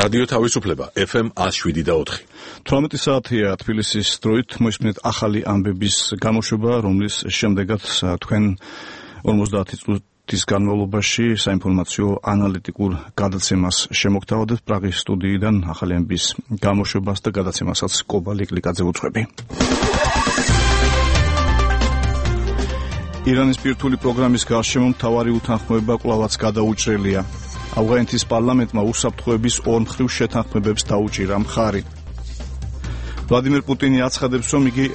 რადიო თავისუფლება FM 107.4. 18 საათია თბილისის დროით მოისმინეთ ახალი ამბების გამოშვება, რომლის შემდეგაც თქვენ 50 წუთის განმავლობაში საინფორმაციო ანალიტიკურ გადაცემას შემოგთავაზებთ პრაღის სტუდიიდან ახალი ამბების გამოშვებას და გადაცემასაც კობალი კლიკაძე უძღვები. ირანის პირთული პროგრამის გარშემო მთავარი უთანხმოება კვლავაც გადაუჭრელია. ავღანეთის პარლამენტმა უსაფრთხოების ორმხრივ შეთანხმებებს დაუჭირა მხარი. ვლადიმერ პუტინი აცხადებს, რომ იგი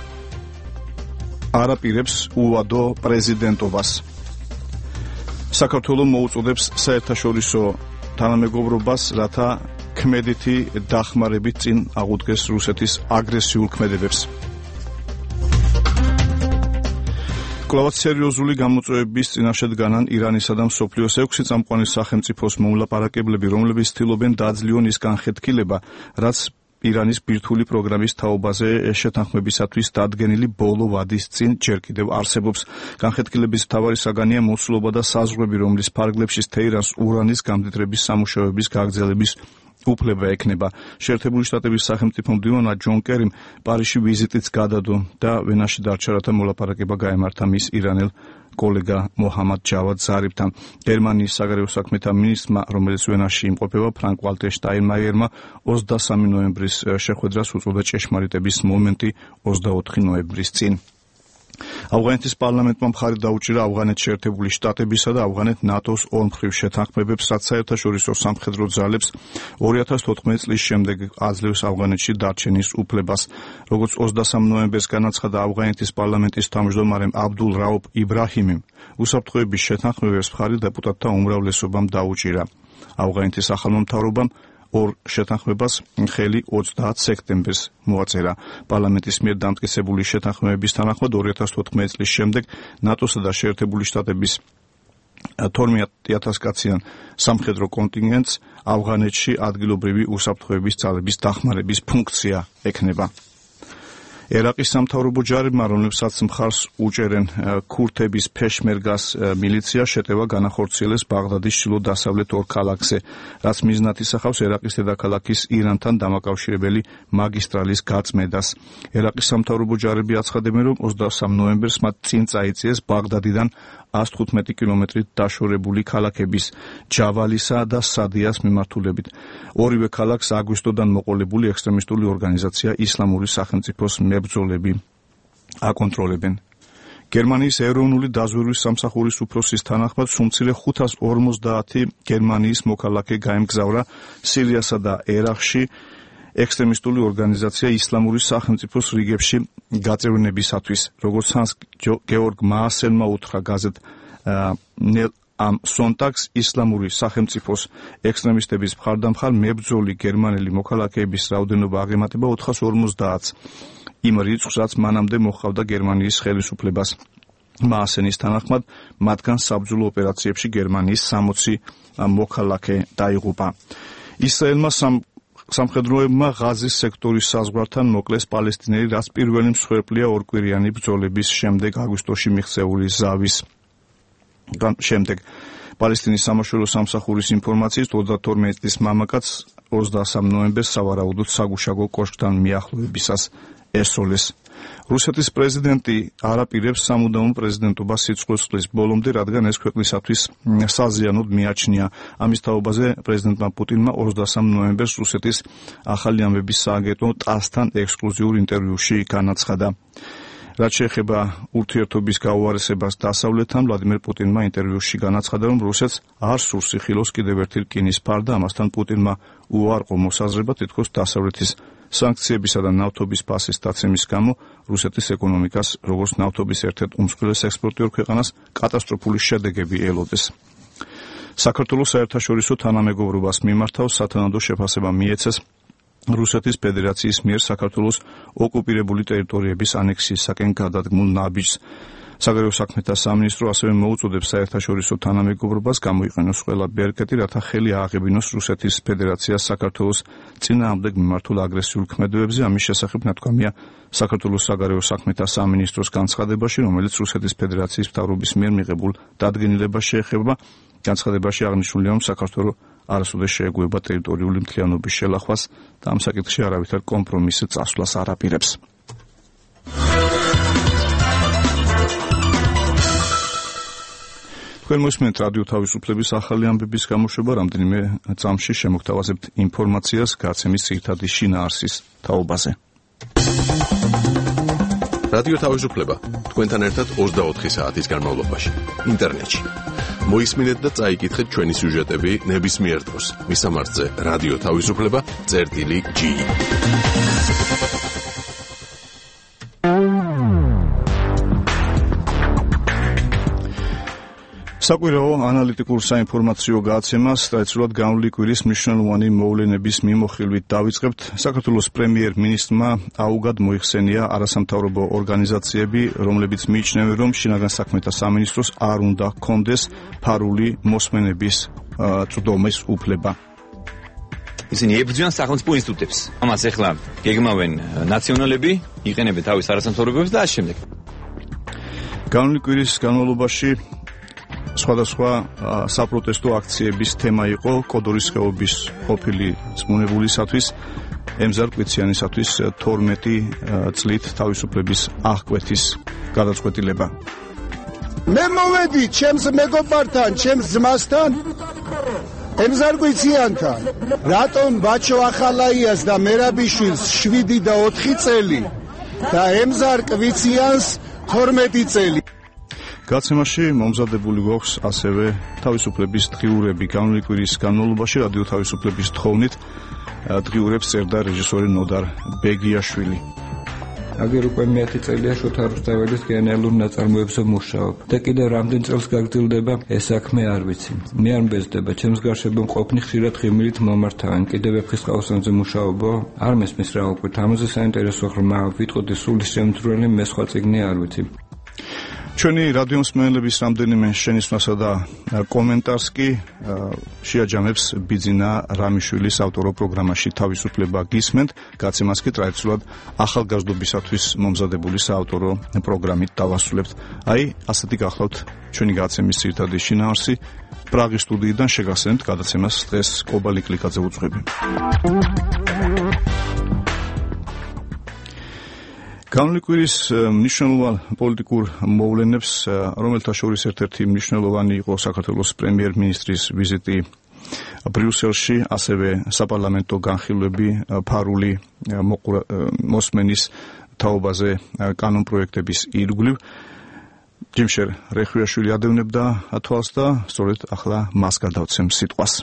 არ აპირებს უვადო პრეზიდენტობას. საქართველო მოუწოდებს საერთაშორისო თანამეგობრობას, რათა ქმედითი დახმარებით წინ აღუდგეს რუსეთის აგრესიულ ქმედებებს. კვლავაც სერიოზული გამოწვევების წინაშე დგანან ირანისა და მსოფლიოს 6 წამყვანი სახელმწიფოს მომლაპარაკებლები, რომლებიც ცდილობენ დააძლიონ ის განხეთქილება, რაც ირანის ბირთვული პროგრამის თაობაზე შეთანხმებისათვის დადგენილი ბოლო ვადის წინ ჯერ კიდევ არსებობს. განხეთქილების მთავარი საგანია მოცულობა და საზღვრები, რომლის ფარგლებში თეირანს ურანის გამდიდრების სამუშაოების გაგრძელების უფლება ექნება. შეერთებული შტატების სახელმწიფო მდივანმა ჯონ კერიმ პარიზში ვიზიტიც გადადო და ვენაში დარჩა, რათა მოლაპარაკება გაემართა მის ირანელ კოლეგა მოჰამად ჯავად ზარიფთან. გერმანიის საგარეო საქმეთა მინისტრმა, რომელიც ვენაში იმყოფება, ფრანკ ვალტერ შტაინმაიერმა 23 ნოემბრის შეხვედრას უწოდა ჭეშმარიტების მომენტი 24 ნოემბრის წინ. ავღანეთის პარლამენტმა მხარი დაუჭირა ავღანეთში შეერთებული შტატებისა და ავღანეთ ნატოს ორმხრივ შეთანხმებებს, რაც საერთაშორისო სამხედრო ძალებს 2014 წლის შემდეგ აძლევს ავღანეთში დარჩენის უფლებას. როგორც 23 ნოემბერს განაცხადა ავღანეთის პარლამენტის თავმჯდომარემ აბდულ რაუფ იბრაჰიმიმ, უსაფრთხოების შეთანხმებებს მხარი დეპუტატთა უმრავლესობამ დაუჭირა. ავღანეთის ახალმა მთავრობამ ორ შეთანხმებას ხელი 30 სექტემბერს მოაწერა. პარლამენტის მიერ დამტკიცებული შეთანხმებების თანახმად 2014 წლის შემდეგ ნატოსა და შეერთებული შტატების 12,000 კაციან სამხედრო კონტინგენტს ავღანეთში ადგილობრივი უსაფრთხოების ძალების დახმარების ფუნქცია ექნება. ერაყის სამთავრობო ჯარებმა, რომლებსაც მხარს უჭერენ ქურთების ფეშმერგას მილიცია, შეტევა განახორციელეს ბაღდადის ჩრდილო-დასავლეთ ორ ქალაქზე, რაც მიზნად ისახავს ერაყის დედაქალაქის ირანთან დამაკავშირებელი მაგისტრალის გაწმედას. ერაყის სამთავრობო ჯარები აცხადებენ, რომ 23 ნოემბერს მათ წინ წაიწიეს ბაღდადიდან 115 კილომეტრით დაშორებული ქალაქების ჯავალისა და სადიას მიმართულებით. ორივე ქალაქს აგვისტოდან მოყოლებული ექსტრემისტული ორგანიზაცია ისლამური სახელმწიფოს მებრძოლები აკონტროლებენ. გერმანიის ეროვნული დაზვერვის სამსახურის უფროსის თანახმად სულ მცირე 550 გერმანიის მოქალაქე გაემგზავრა სირიასა და ერაყში ექსტრემისტული ორგანიზაცია ისლამური სახელმწიფოს რიგებში გაწევრინებისათვის. როგორც ჰანს გეორგ მაასენმა უთხრა გაზეთ ნელ ამ სონტაგს, ისლამური სახელმწიფოს ექსტრემისტების მხარდამხარ მებრძოლი გერმანელი მოქალაქეების რაოდენობა აღემატება 450-ს. იმ რიცხვს, რაც მანამდე მოჰყავდა გერმანიის ხელისუფლებას. მაასენის თანახმად, მათგან საბრძოლო ოპერაციებში გერმანიის 60 მოქალაქე დაიღუპა. ისრაელმა სამხედროებმა ღაზის სექტორის საზღვართან მოკლეს პალესტინელი, რაც პირველი მსხვერპლია ორკვირიანი ბრძოლების შემდეგ აგვისტოში მიღწეული ზავის შემდეგ. პალესტინის სამაშველო სამსახურის ინფორმაციით 32 წლის მამაკაცს 23 ნოემბერს სავარაუდოდ საგუშაგო კოშკთან მიახლოებისას ესწოლეს. რუსეთის პრეზიდენტი არ აპირებს სამუდამო პრეზიდენტობას სიცოცხლის ბოლომდე, რადგან ეს ქვეყნისათვის საზიანოდ მიაჩნია. ამის თაობაზე პრეზიდენტმა პუტინმა 23 ნოემბერს რუსეთის ახალი ამბების სააგენტო ტასთან ექსკლუზიურ ინტერვიუში განაცხადა. რაც შეეხება ურთიერთობის გაუარესებას დასავლეთთან, ვლადიმერ პუტინმა ინტერვიუში განაცხადა, რომ რუსეთს არ სურს იხილოს კიდევ ერთი რკინის ფარ და ამასთან პუტინმა უარყო მოსაზრება თითქოს დასავლეთის სანქციებისა და ნავთობის ფასის დაცემის გამო რუსეთის ეკონომიკას, როგორც ნავთობის ერთ-ერთ უმსხვილეს ექსპორტიორ ქვეყანას, კატასტროფული შედეგები ელოდეს. საქართველოს საერთაშორისო თანამეგობრობას მიმართავს სათანადო შეფასება მიეცეს რუსეთის ფედერაციის მიერ საქართველოს ოკუპირებული ტერიტორიების ანექსიისაკენ გადადგმულ ნაბიჯს. საგარეო საქმეთა სამინისტრო ასევე მოუწოდებს საერთაშორისო თანამეგობრობას გამოიყენოს ყველა ბერკეტი, რათა ხელი ააღებინოს რუსეთის ფედერაციას საქართველოს წინააღმდეგ მიმართულ აგრესიულ ქმედებებზე. ამის შესახებ ნათქვამია საქართველოს საგარეო საქმეთა სამინისტროს განცხადებაში, რომელიც რუსეთის ფედერაციის მთავრობის მიერ მიღებულ დადგენილებას შეეხება. განცხადებაში აღნიშნულია, რომ საქართველოს არასოდეს შეეგუება ტერიტორიული მთლიანობის შელახვას და ამ საკითხში არავითარ კომპრომისს წასვლას არ აპირებს. თქვენ მოსმენთ რადიო თავისუფლების ახალი ამბების გამოშვება, რამდენიმე წამში შემოგთავაზებთ ინფორმაციას გაცემის ძირითადი შინაარსის თაობაზე. რადიო თავისუფლება თქვენთან ერთად 24 საათის განმავლობაში ინტერნეტში. მოისმინეთ და წაიკითხეთ ჩვენი სიუჟეტები ნებისმიერ დროს მისამართზე რადიო თავისუფლება.gi. საკვირაო ანალიტიკურ საინფორმაციო გადაცემას ტრადიციულად განვლილი კვირის მნიშვნელოვანი მოვლენების მიმოხილვით დავიწყებთ. საქართველოს პრემიერ-მინისტრმა აუგად მოიხსენია არასამთავრობო ორგანიზაციები, რომლებიც მიიჩნევენ, რომ შინაგან საქმეთა სამინისტროს არ უნდა ჰქონდეს ფარული მოსმენების წვდომის უფლება. ისინი ებრძვიან სახელმწიფო ინსტიტუტებს. ამას ეხლა გეგმავენ ნაციონალები, იყენებენ თავის არასამთავრობოებს და ამ შემდეგ. განვლილი კვირის განმავლობაში სხვადასხვა საპროტესტო აქციების თემა იყო კოდორის ხეობის ყოფილი წმუნებულისათვის ემზარ კვიციანისათვის 12 წლით თავისუფლების აღკვეთის გადაწყვეტილება. მე მოვედი ჩემს მეგობართან, ჩემს ძმასთან, ემზარ კვიციანთან. რატომ ბაჩო ახალაიას და მერაბიშვილს 7 და 4 წელი და ემზარ კვიციანს 12 წელი? გაცემაში მომზადებული გვაქვს ასევე თავისუფლების დღიურები. განვლილი კვირის განმავლობაში რადიო თავისუფლების თხოვნით დღიურებს წერდა რეჟისორი ნოდარ ბეგიაშვილი. აგერ უკვე მე-10 წელია შოთა რუსთაველის გენერალურ ნაწარმოებზე მუშაობ და კიდევ რამდენ წელს გაგრძელდება ეს საქმე არ ვიცი. მე არ მბეზდება, ჩემს გარშემო მყოფნი ხშირად ღიმილით მომართავენ. კიდევ ვეფხისტყაოსანზე მუშაობო? არ მესმის რა უკვე. ამაზე საინტერესო ღრმა ვიტყოდი სული შემძვრელი მე სხვა წიგნი არ ვიცი. ჩვენი რადიო მსმენელების რამდენიმე შენიშვნასა და კომენტარს კი შეაჯამებს ბიძინა რამიშვილის ავტორო პროგრამაში თავისუფლება გისმენთ. გაცემას კი ტრადიციულად ახალგაზრდობისათვის მომზადებული საავტორო პროგრამით დავასრულებთ. აი, ასეთი გახლავთ ჩვენი გაცემის ძირითადი შინაარსი. პრაღის სტუდიიდან შეგახსენებთ გადაცემას დღეს კობალი კლიკაძე უძღვები. განვლილი კვირის მნიშვნელოვან პოლიტიკურ მოვლენებს, რომელთა შორის ერთ-ერთი მნიშვნელოვანი იყო საქართველოს პრემიერ-მინისტრის ვიზიტი ბრიუსელში, ასევე საპარლამენტო განხილვები ფარული მოსმენის თაობაზე კანონპროექტების ირგვლივ. ჯიმშერ რეხვიაშვილი ადევნებდა თვალს და სწორედ ახლა მას გადავცემ სიტყვას.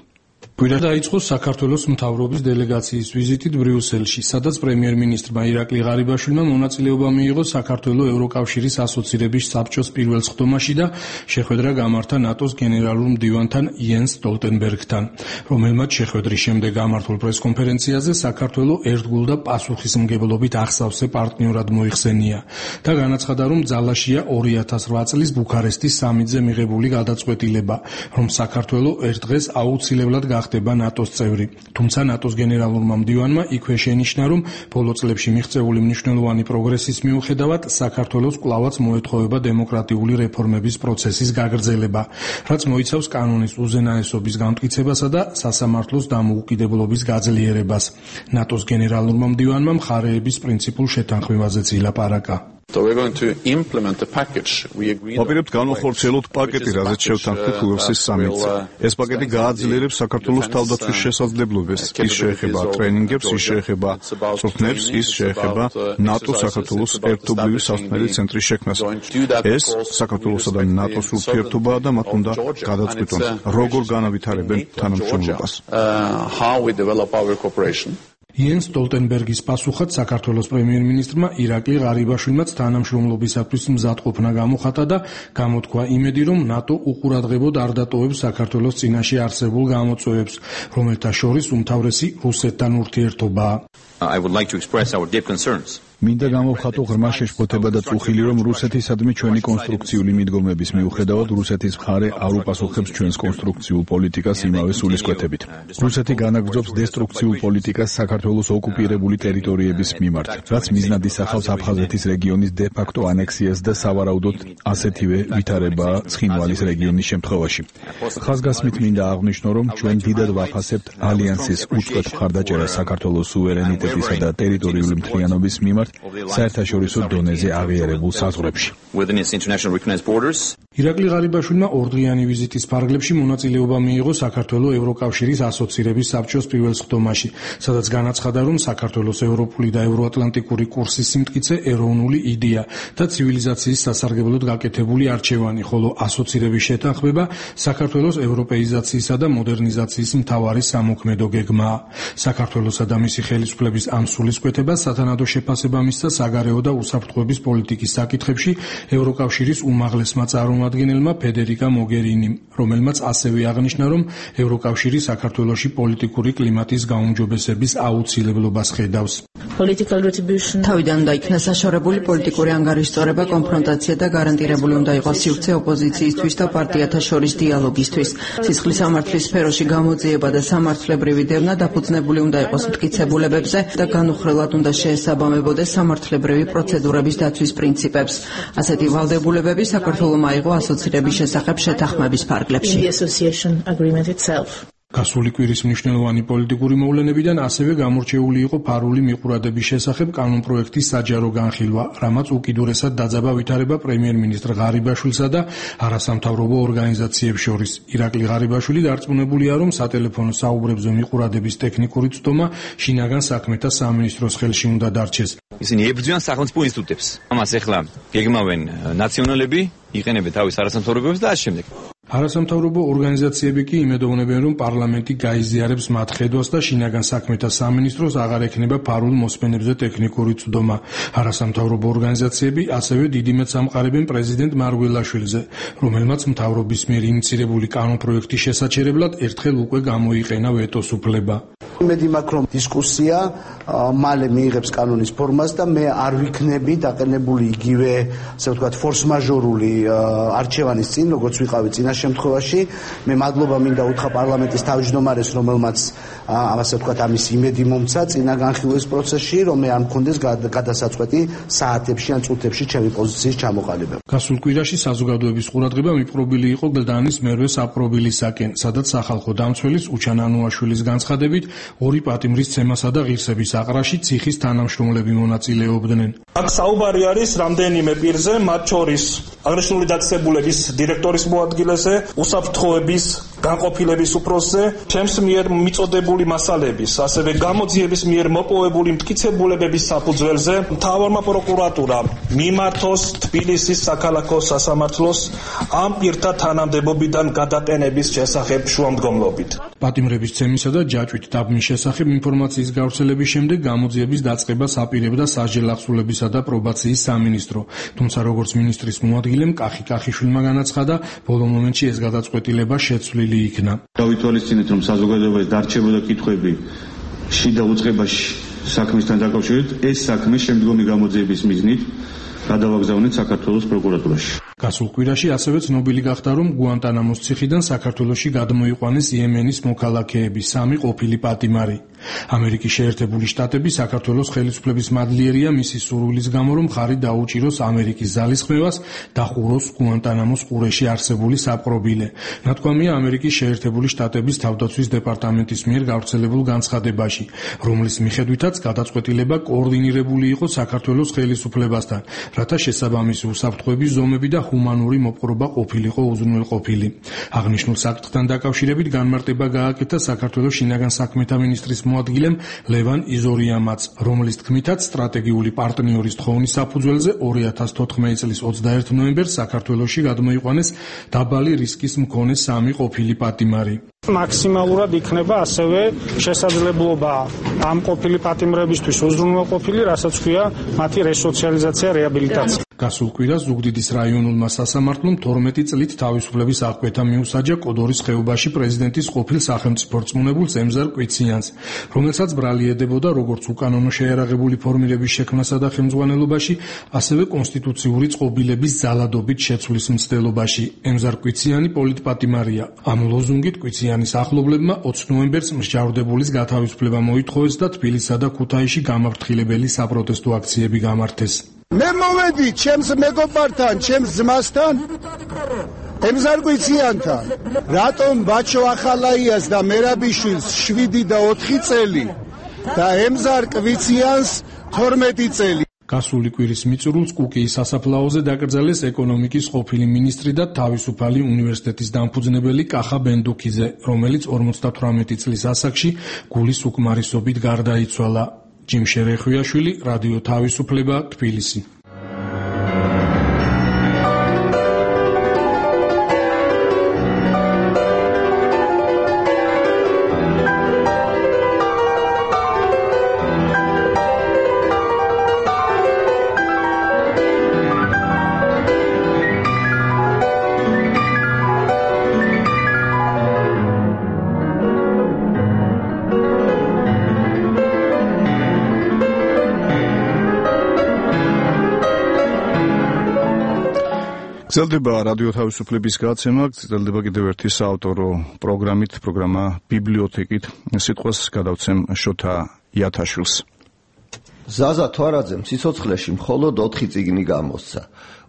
კვირა დაიწყო საქართველოს მთავრობის დელეგაციის ვიზიტით ბრიუსელში, სადაც პრემიერ-მინისტრმა ირაკლი ღარიბაშვილმა მონაწილეობა მიიღო საქართველოს ევროკავშირის ასოცირების საბჭოს პირველ სხდომაში და შეხვედრა გამართა ნატოს გენერალურ მდივანთან იენს სტოლტენბერგთან, რომელმაც შეხვედრის შემდეგ გამართულ პრესკონფერენციაზე საქართველოს ერთგულ და პასუხისმგებლობით ახსავსე პარტნიორად მოიხსენია და განაცხადა, რომ ძალაშია 2008 წლის ბუქარესტის სამიტზე მიღებული გადაწყვეტილება, რომ საქართველოს ერთ დღეს აუცილებლად ხდება ნატოს წევრი. თუმცა ნატოს გენერალურმა მდივანმა იქვე შენიშნა, რომ ბოლო წლებში მიღწეული მნიშვნელოვანი პროგრესის მიუხედავად საქართველოს კვლავაც მოეთხოვება დემოკრატიული რეფორმების პროცესის გაგრძელება, რაც მოიცავს კანონის უზენაესობის განმტკიცებასა და სასამართლოს დამოუკიდებლობის გაძლიერებას. ნატოს გენერალურმა მდივანმა მხარეების პრინციპულ შეთანხმებაზეც ილაპარაკა. ვაპირებთ განვახორციელოთ პაკეტი, რაზეც შევთანხმდით უელსის სამიტზე. ეს პაკეტი გააძლიერებს საქართველოს თავდაცვის შესაძლებლობებს. ის შეეხება ტრენინგებს, ის შეეხება წვრთნებს, ის შეეხება ნატოს საქართველოს ერთობლივი სასწავლებელი ცენტრის შექმნას. ეს საქართველოსა და ნატოს ურთიერთობაა და მათ უნდა გადაწყვიტონ, როგორ განავითარებენ თანამშრომლობას. იენს სტოლტენბერგის პასუხად საქართველოს პრემიერ-მინისტრმა ირაკლი ღარიბაშვილმაც თანამშრომლობისათვის მზადყოფნა გამოხატა და გამოთქვა იმედი, რომ ნატო უყურადღებოდ არ დატოვებს საქართველოს წინაშე არსებულ გამოწვევებს, რომელთა შორის უმთავრესი რუსეთთან ურთიერთობაა. I would like to express our deep concerns მინდა გამოვხატო ღრმა შეშფოთება და წუხილი, რომ რუსეთისადმი ჩვენი კონსტრუქციული მიდგომების მიუხედავად რუსეთის მხარე არ უპასუხებს ჩვენს კონსტრუქციულ პოლიტიკას იმავე სულისკვეთებით. რუსეთი განაგრძობს დესტრუქციულ პოლიტიკას საქართველოს ოკუპირებული ტერიტორიების მიმართ, რაც მიზნად ისახავს აფხაზეთის რეგიონის დე-ფაქტო ანექსიას და სავარაუდოდ ასეთივე ვითარებაა ცხინვალის რეგიონის შემთხვევაში. ხაზგასმით მინდა აღვნიშნო, რომ ჩვენ დიდად ვაფასებთ ალიანსის უწყვეტ მხარდაჭერას საქართველოს სუვერენიტეტისა და ტერიტორიული მთლიანობის მიმართ საერთაშორისო დონეზე აღიარებულ საზღვრებში. ირაკლი ღარიბაშვილმა ორდღიანი ვიზიტის ფარგლებში მონაწილეობა მიიღო საქართველოს ევროკავშირის ასოცირების საბჭოს პირველ სხდომაში, სადაც განაცხადა, რომ საქართველოს ევროპული და ევროატლანტიკური კურსის სიმტკიცე ეროვნული იდეა და ცივილიზაციის სასარგებლოდ გაკეთებული არჩევანი, ხოლო ასოცირების შეთანხმება საქართველოს ევროპეიზაციისა და მოდერნიზაციის მთავარი სამოქმედო გეგმაა. საქართველოსა და მისი ხელისუფლების ამ სულისკვეთებას სათანადო შეფასება მისცა საგარეო და უსაფრთხოების პოლიტიკის საკითხებში ევროკავშირის უმაღლესმა წარმომადგენელმა ფედერიკა მოგერინიმ, რომელმაც ასევე აღნიშნა, რომ ევროკავშირი საქართველოში პოლიტიკური კლიმატის გაუმჯობესების აუცილებლობას ხედავს. თავიდან უნდა იქნას საშორებული პოლიტიკური ანგარიშწორება, კონფრონტაცია და გარანტირებული უნდა იყოს სივრცე ოპოზიციისთვის და პარტიათა შორის დიალოგისთვის. სისხლის სამართლის სფეროში გამოძიება და სამართლებრივი დევნა დაფუძნებული უნდა იყოს მტკიცებულებებზე და განუხრელად უნდა შეესაბამებოდეს სამართლებრივი პროცედურების დაცვის პრინციპებს. ასეთი ვალდებულებები საქართველოს აიღო ასოცირების შესახებ შეთანხმების ფარგლებში. გასული კვირის მნიშვნელოვანი პოლიტიკური მოვლენებიდან ასევე გამორჩეული იყო ფარული მიყურადების შესახებ კანონპროექტის საჯარო განხილვა, რამაც უკიდურესად დაძაბა ვითარება პრემიერ-მინისტრ ღარიბაშვილსა და არასამთავრობო ორგანიზაციებს შორის. ირაკლი ღარიბაშვილი დარწმუნებულია, რომ სატელეფონო საუბრებზე მიყურადების ტექნიკური ცდომა შინაგან საქმეთა სამინისტროს ხელში უნდა დარჩეს. ისინი ებრძვიან სახელმწიფო ინსტიტუტებს. ამას ეხლა გეგმავენ ნაციონალები, იყენებენ თავის არასამთავრობოებს და ამ შემდეგ. არასამთავრობო ორგანიზაციები კი იმედოვნებენ, რომ პარლამენტი გაიზიარებს მათ ხედვას და შინაგან საქმეთა სამინისტროს აღარ ექნება ფარულ მოსმენებზე ტექნიკური ცდომა. არასამთავრობო ორგანიზაციები ასევე დიდი მეტს ამყარებენ პრეზიდენტ მარგველაშვილზე, რომელმაც მთავრობის მიერ ინიცირებული კანონპროექტის შესაჩერებლად ერთხელ უკვე გამოიყენა ვეტოს უფლება. იმედი მაქვს, რომ დისკუსია მალე მიიღებს კანონის ფორმას და მე არ ვიქნები დაყენებული იგივე, ასე ვთქვათ, ფორს-მაჟორული არჩევანის წინ, როგორც ვიყავი წინა შემთხვევაში. მე მადლობა მინდა უთხრა პარლამენტის თავმჯდომარეს, რომელმაც ასე ვთქვათ, ამის იმედი მომცა წინა განხილვის პროცესში, რომ მე არ მქონდეს გადასაწყვეტი საათებში ან წუთებში ჩემი პოზიციის ჩამოყალიბება. გასულ კვირაში საზოგადოების ყურადღება მიპყრობილი იყო გლდანის მერვე საპყრობილისაკენ, სადაც სახალხო დამცველის უჩან ანუაშვილის განცხადებით ორი პატიმრის ცემასა და ღირსების აყრაში ციხის თანამშრომლები მონაწილეობდნენ. აქ საუბარი არის რამდენიმე პირზე, მათ შორის აღნიშნული დაწესებულების დირექტორის მოადგილეზე, უსაფრთხოების განყოფილების უფროსზე, ჩემს მიერ მიწოდებული მასალების, ასევე გამოძიების მიერ მოპოვებული მტკიცებულებების საფუძველზე მთავარმა პროკურატურამ მიმართოს თბილისის საქალაქო სასამართლოს ამ პირთა თანამდებობიდან გადაყენების შესახებ შუამდგომლობით. პატიმრების ცემისა და ჯაჭვით დაბმის შესახებ ინფორმაციის გავრცელების შემდეგ გამოძიების დაწყებას აპირებდა სასჯელ-ახსულებისა და პრობაციის სამინისტრო, თუმცა როგორც მინისტრის მოადგილემ კახი კახიშვილმა განაცხადა, ბოლო მომენტში ეს გადაწყვეტილება შეცვლილი იქნა. დავითვალისწინეთ, რომ საზოგადოებას დარჩებოდა კითხვები შიდა უწყებაში საქმისთან დაკავშირებით, ეს საქმე შემდგომი გამოძიების მიზნით გადავაგზავნეთ საქართველოს პროკურატურაში. გასულ კვირაში ასევე ცნობილი გახდა, რომ გუანტანამოს ციხიდან საქართველოში გადმოიყვანეს იემენის მოქალაქეები, 3 ყოფილი პატიმარი. ამერიკის შეერთებული შტატები საქართველოს ხელისუფლების მადლიერია მისი სურვილის გამო, რომ ხარი დაუჭიროს ამერიკის ძალისხმევას და ხუროს გუანტანამოს ყურეში არსებული საპყრობილე. ნათქვამია ამერიკის შეერთებული შტატების თავდაცვის დეპარტამენტის მიერ გავრცელებულ განცხადებაში, რომლის მიხედვითაც გადაწყვეტილება კოორდინირებული იყო საქართველოს ხელისუფლებასთან, რათა შესაბამისი უსაფრთხოების ზომები და ჰუმანური მოპყრობა ყოფილიყო უზრუნველყოფილი. აღნიშნულ საკითხთან დაკავშირებით განმარტება გააკეთა საქართველოს შინაგან საქმეთა მინისტრის მოადგილემ ლევან იზორიამაც, რომლის თქმითაც სტრატეგიული პარტნიორის თხოვნის საფუძველზე 2014 წლის 21 ნოემბერს საქართველოში გადმოიყვანეს დაბალი რისკის მქონე 3 ყოფილი პატიმარი. მაქსიმალურად იქნება ასევე შესაძლებლობა ამ ყოფილი პატიმრებისთვის უზრუნველყოფილი, რასაც ქვია მათი რესოციალიზაცია, რეაბილიტაცია. გასულ კვირას ზუგდიდის რაიონულმა სასამართლომ 12 წლით თავისუფლების აღკვეთა მიუსაჯა კოდორის ხეობაში პრეზიდენტის ყოფილ სახელმწიფო რწმუნებულს ემზარ კვიციანს, რომელსაც ბრალი ედებოდა როგორც უკანონო შეიარაღებული ფორმირების შექმნასა და ხელმძღვანელობაში, ასევე კონსტიტუციური წყობილების ძალადობით შეცვლის მცდელობაში. ემზარ კვიციანი პოლიტპატიმარია. ამ ლოზუნგით კვიციანის ახლობლებმა 20 ნოემბერს მსჯავრდებულის გათავისუფლება მოითხოვეს და თბილისსა და ქუთაისში გამაფრთხილებელი საპროტესტო აქციები გამართეს. მე მოვედი ჩემს მეგობართან, ჩემს ძმასთან, ემზარ კვიციანთან. რატომ ბაჩო ახალაიას და მერაბიშვილს 7 და 4 წელი და ემზარ კვიციანს 12 წელი? გასული კვირის მიწურულს კუკიის სასაფლაოზე დაკრძალეს ეკონომიკის ყოფილი მინისტრი და თავისუფალი უნივერსიტეტის დამფუძნებელი კახა ბენდუქიძე, რომელიც 58 წლის ასაკში გულის უკმარისობით გარდაიცვალა. ჯიმშე რეხვიაშვილი, რადიო თავისუფლება, თბილისი. გრძელდება რადიო თავისუფლების გაცემა, გრძელდება კიდევ ერთი საავტორო პროგრამით, პროგრამა ბიბლიოთეკით. სიტყვას გადავცემ შოთა იათაშვილს. ზაზა თვარაძემ სიცოცხლეში მხოლოდ 4 წიგნი გამოსცა.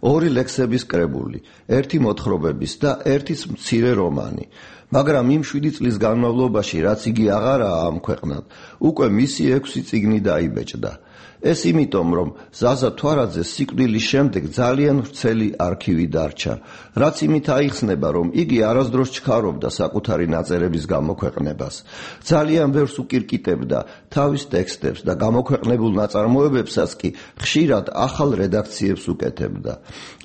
2 ლექსების კრებული, 1 მოთხრობების და 1 მცირე რომანი. მაგრამ იმ 7 წლის განმავლობაში, რაც იგი აღარაა ამ ქვეყნად, უკვე მისი 6 წიგნი დაიბეჭდა. ეს იმიტომ, რომ ზაზა თვარაძეს სიკვდილის შემდეგ ძალიან ვრცელი არქივი დარჩა, რაც იმით აიხსნება, რომ იგი არასდროს ჩქარობდა საკუთარი ნაწერების გამოქვეყნებას. ძალიან ბევრს უკირკიტებდა თავის ტექსტებს და გამოქვეყნებულ ნაწარმოებებსაც კი ხშირად ახალ რედაქციებს უკეთებდა.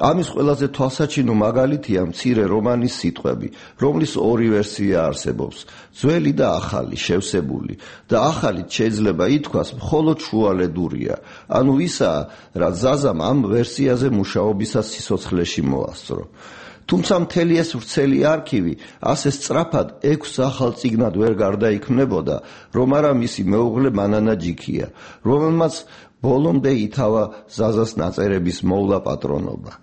ამის ყველაზე თვალსაჩინო მაგალითია მცირე რომანის სიტყვები, რომლის 2 ვერსია არსებობს, ძველი და ახალი, შევსებული და ახალით შეიძლება ითქვას მხოლოდ შუალედური. ანუ ისაა, რაც ზაზამ ამ ვერსიაზე მუშაობისას სიცოცხლეში მოასწრო. თუმცა მთელი ეს ვრცელი არქივი ასე სწრაფად 6 ახალ წიგნად ვერ გარდაიქმნებოდა, რომ არა მისი მეუღლე მანანა ჯიქია, რომელმაც ბოლომდე ითავა ზაზას ნაწერების მოვლა პატრონობა.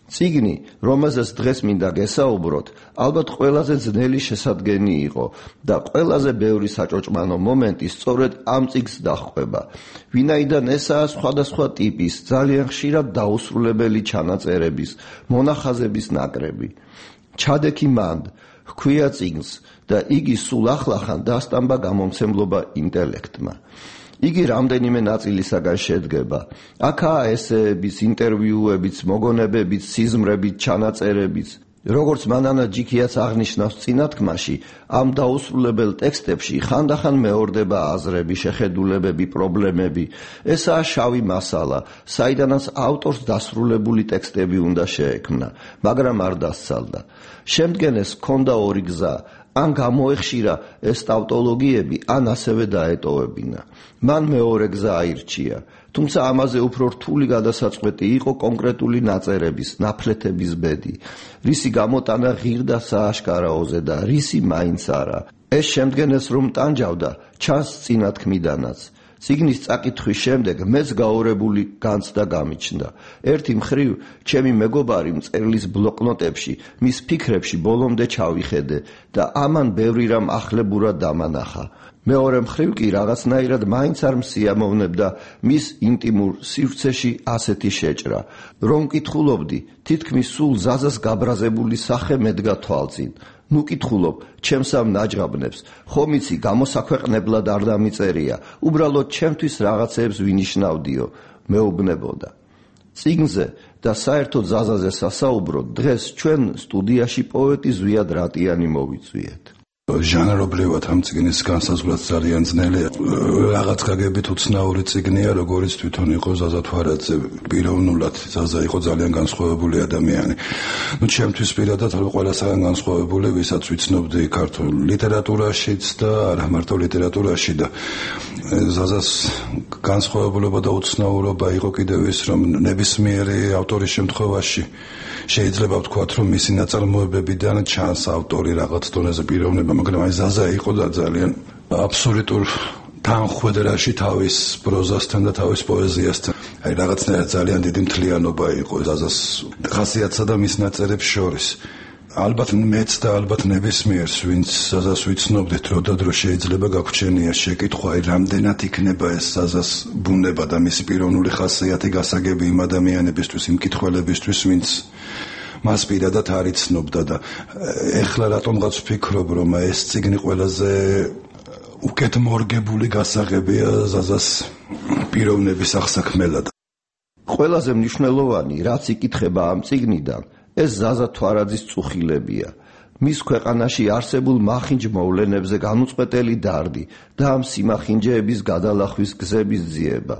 წიგნი, რომელზეც დღეს მინდა გესაუბროთ, ალბათ ყველაზე ძნელი შესადგენი იყო და ყველაზე ბევრი საჭოჭმანო მომენტი სწორედ ამ წიგნს დაჰყვება. ვინაიდან ესაა სხვადასხვა ტიპის, ძალიან ხშირად დაუსრულებელი ჩანაწერების, მონახაზების ნაკრები. ჩადექი მანდ, ჰქვია წიგნს და იგი სულ ახლახან დასტამბა გამომცემლობა ინტელექტმა. იგი რამდენიმე ნაწილისაგან შედგება. აქაა ესეების, ინტერვიუებიც, მოგონებებიც, სიზმრებით, ჩანაწერებიც. როგორც მანანა ჯიქიაც აღნიშნავს წინათქმაში, ამ დაუსრულებელ ტექსტებში ხანდახან მეორდება აზრები, შეხედულებები, პრობლემები. ესაა შავი მასალა, საიდანაც ავტორს დასრულებული ტექსტები უნდა შეექმნა, მაგრამ არ დასცალდა. შემდგენეს ჰქონდა 2 გზა. ან გამოეხშირა ეს ტავტოლოგიები, ან ასევე დაეტოვებინა. მან მეორე გზა აირჩია, თუმცა ამაზე უფრო რთული გადასაწყვეტი იყო კონკრეტული ნაწერების, ნაფლეთების ბედი, რისი გამოტანა ღირდა სააშკარაოზე და რისი მაინც არა. ეს შემდგენეს რომ ტანჯავდა, ჩანს წინათქმიდანაც. წიგნის წაკითხვის შემდეგ მეც გაორებული განცდა გამიჩნდა. ერთი მხრივ, ჩემი მეგობარი მწერლის ბლოკნოტებში, მის ფიქრებში ბოლომდე ჩავიხედე და ამან ბევრი რამ ახლებურად დამანახა. მეორე მხრივ კი რაღაცნაირად მაინც არ მსიამოვნებდა მის ინტიმურ სივრცეში ასეთი შეჭრა, რომ კითხულობდი, თითქმის სულ ზაზას გაბრაზებული სახე მედგა თვალწინ. ნუ კითხულობ, ჩემს ამ ნაჯღაბნებს, ხომ იცი გამოსაქვეყნებლად არ დამიწერია, უბრალოდ ჩემთვის რაღაცეებს ვინიშნავდიო, მეუბნებოდა. წიგნზე და საერთოდ ზაზაზე სასაუბროდ დღეს ჩვენ სტუდიაში პოეტი ზვიად რატიანი მოვიწვიეთ. ჟანრობრივად ამ წიგნის განსაზღვრაც ძალიან ძნელია. რაღაც გაგებით უცნაური წიგნია, როგორც თვითონ იყო ზაზა თვარაძე. პიროვნულად ზაზა იყო ძალიან განსხვავებული ადამიანი. ჩემთვის პირადად ყველასაგან განსხვავებული, ვისაც ვიცნობდი ქართულ ლიტერატურაშიც და არა მარტო ლიტერატურაში და ზაზას განსხვავებულობა და უცნაურობა იყო კიდევ ის, რომ ნებისმიერი ავტორის შემთხვევაში შეიძლება ვთქვათ, რომ მისი ნაწარმოებებიდან ჩანს ავტორი რაღაც დონეზე პიროვნება, მაგრამ აი ზაზა იყო და ძალიან აბსოლუტურ თანხვედრაში თავის პროზასთან და თავის პოეზიასთან. აი რაღაცნაირად ძალიან დიდი მთლიანობა იყო ზაზას ხასიათსა და მის ნაწერებს შორის. ალბათ მეც და ალბათ ნებისმიერს, ვინც ზაზას ვიცნობდით დრო და დრო შეიძლება გაგვჩენია შეკითხვა, აი რამდენად იქნება ეს ზაზას ბუნება და მისი პიროვნული ხასიათი გასაგები იმ ადამიანებისთვის, იმ მკითხველებისთვის, ვინც მას პირადად არ იცნობდა და ეხლა რატომღაც ვფიქრობ, რომ ეს წიგნი ყველაზე უკეთ მორგებული გასაღებია ზაზას პიროვნების აღსაქმელად. ყველაზე მნიშვნელოვანი, რაც იკითხება ამ წიგნიდან, ეს ზაზა თვარაძის წუხილებია. მის ქვეყანაში არსებულ მახინჯ მოვლენებზე განუწყვეტელი დარდი და ამ სიმახინჯეების გადალახვის გზების ძიება.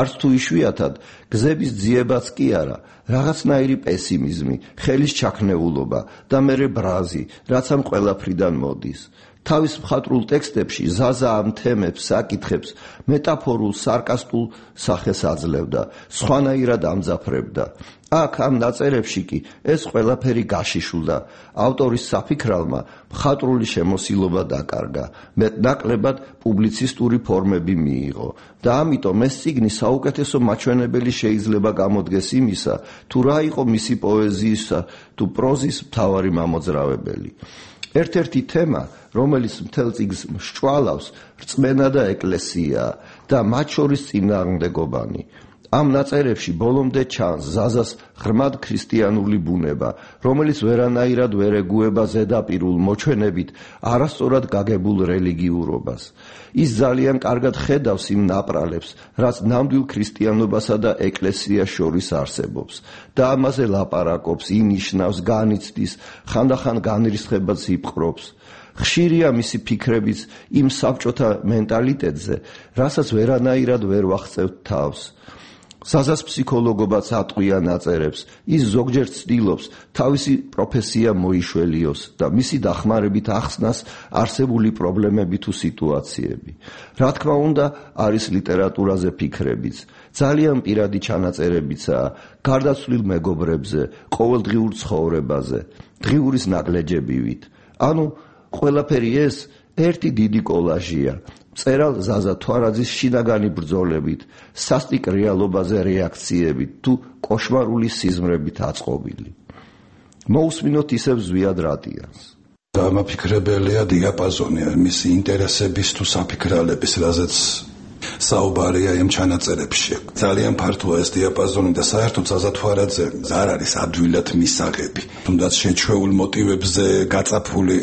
არც თუ იშვიათად გზების ძიებაც კი არა, რაღაცნაირი პესიმიზმი, ხელის ჩაქნეულობა და მერე ბრაზი, რაც ამ ყველაფრიდან მოდის. თავის მხატვრულ ტექსტებში ზაზა ამ თემებს, საკითხებს მეტაფორულ, სარკასტულ სახეს აძლევდა, სხვანაირად ამძაფრებდა. აქ ამ ნაწერებში კი ეს ყველაფერი გაშიშულდა. ავტორის საფიქრალმა მხატვრული შემოსილობა დაკარგა, მეტნაკლებად პუბლიცისტური ფორმები მიიღო და ამიტომ ეს წიგნი საუკეთესო მაჩვენებელი შეიძლება გამოდგეს იმისა, თუ რა იყო მისი პოეზიისა თუ პროზის მთავარი მამოძრავებელი. ერთ-ერთი თემა, რომელიც მთელ წიგნს მსჭვალავს, რწმენა და ეკლესიაა და მათ შორის წინააღმდეგობანი. ამ ნაწერებში ბოლომდე ჩანს ზაზას ღრმად ქრისტიანული ბუნება, რომელიც ვერანაირად ვერ ეგუება ზედაპირულ მოჩვენებით არასწორად გაგებულ რელიგიურობას. ის ძალიან კარგად ხედავს იმ ნაპრალებს, რაც ნამდვილ ქრისტიანობასა და ეკლესიას შორის არსებობს და ამაზე ლაპარაკობს, ინიშნავს, განიცდის, ხანდახან განრისხებაც იპყრობს. ხშირია მისი ფიქრებიც იმ საბჭოთა მენტალიტეტზე, რასაც ვერანაირად ვერ ვახცევთ თავს. ზაზას ფსიქოლოგობაც ატყვია ნაწერებს, ის ზოგჯერ ცდილობს თავისი პროფესია მოიშველიოს და მისი დახმარებით ახსნას არსებული პრობლემები თუ სიტუაციები. რა თქმა უნდა, არის ლიტერატურაზე ფიქრებიც, ძალიან პირადი ჩანაწერებიცაა, გარდაცვლილ მეგობრებზე, ყოველდღიურ ცხოვრებაზე, დღიურის ნაგლეჯებივით. ანუ ყველაფერი ეს ერთი დიდი კოლაჟია. მწერალ ზაზა თვარაძის შინაგანი ბრძოლებით, სასტიკ რეალობაზე რეაქციებით თუ კოშმარული სიზმრებით აწყობილი. მოусმინოთ ისევ ზვიად რადიანს. დამაფიქრებელია დიაპაზონი მისი ინტერესების თუ საფიქრალების, რაზეც საუბარია იმ ჩანაწერებში. ძალიან ფართოა ეს დიაპაზონი და საერთოდ ზაზა თვარაძე არ არის ადვილად მისაღები. თუნდაც შეჩვეულ მოტივებზე გაწაფული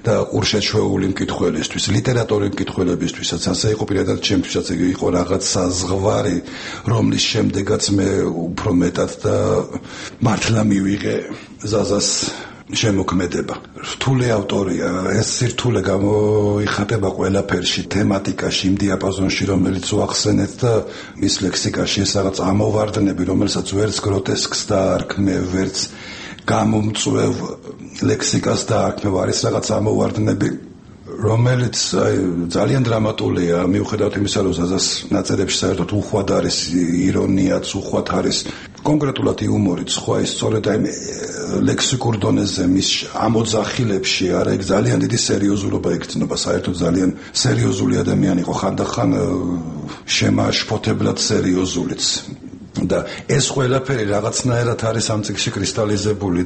და ყურშეჩვეული მკითხველისთვის, ლიტერატურის მკითხველებისთვისაც ასე იყო, პირადად ჩემთვისაც იყო რაღაცა ზღვარი, რომლის შემდეგაც მე უფრო მეტად და მართლა მივიღე ზაზას შემოქმედება. რთული ავტორია, ეს სირთულე გამოიხატება ყველაფერში, თემატიკაში, იმ დიაპაზონში, რომელიც ვახსენეთ და მის ლექსიკაში ეს რაღაც ამოვარდნები, რომელსაც ვერც გროტესკს დაარქმევ, ვერც გამომწვევ ლექსიკას დაარქმევ, არის რაღაც ამოვარდნები, რომელიც ძალიან დრამატულია, მიუხედავად იმისა, რომ ზაზას ნაწერებში საერთოდ უხვად არის ირონიაც, უხვად არის კონკრეტულად იუმორიც, სხვა ის სწორედ აი ლექსიკურ დონეზე მის ამოძახილებში არა, ეგ ძალიან დიდი სერიოზულობა ეკცნობა, საერთოდ ძალიან სერიოზული ადამიანი იყო, ხანდახან შემაშფოთებლად სერიოზულიც. და ეს ყველაფერი რაღაცნაირად არის ამ წიგნში კრისტალიზებული.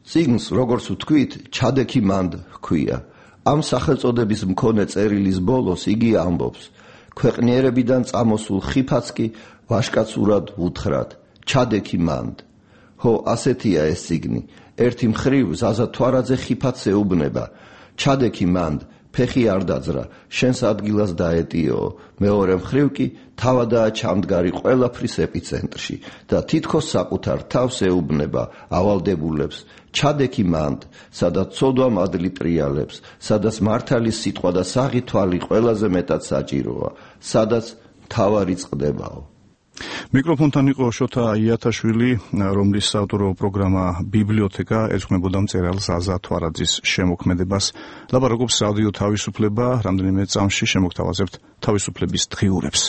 წიგნს, როგორც ვთქვით, ჩადექი მანდ ჰქვია. ამ სახელწოდების მქონე წერილის ბოლოს იგი ამბობს: ქვეყნიერებიდან წამოსულ ხიფაც კი ვაშკაცურად უთხრათ, ჩადექი მანდ. ხო, ასეთია ეს წიგნი. ერთი მხრივ ზაზა თვარაძე ხიფათს ეუბნება, ჩადექი მანდ, ფეხი არ დაძრა, შენს ადგილას დაეტიო. მეორე მხრივ კი თავადაა ჩამდგარი ყველაფრის ეპიცენტრში და თითქოს საკუთარ თავს ეუბნება ავალდებულებს. ჩადექი მანდ, სადაც ცოდვა მადლი ტრიალებს, სადაც მართალის სიტყვა და საღი თვალი ყველაზე მეტად საჭიროა, სადაც თავარი წყდებაო. მიკროფონთან იყო შოთა იათაშვილი, რომლის საავტორო პროგრამა ბიბლიოთეკა ერწყმებოდა მწერალ ზაზა თვარაძის შემოქმედებას. ლაპარაკობს რადიო თავისუფლება, რამდენიმე წამში შემოგთავაზებთ თავისუფლების დღიურებს.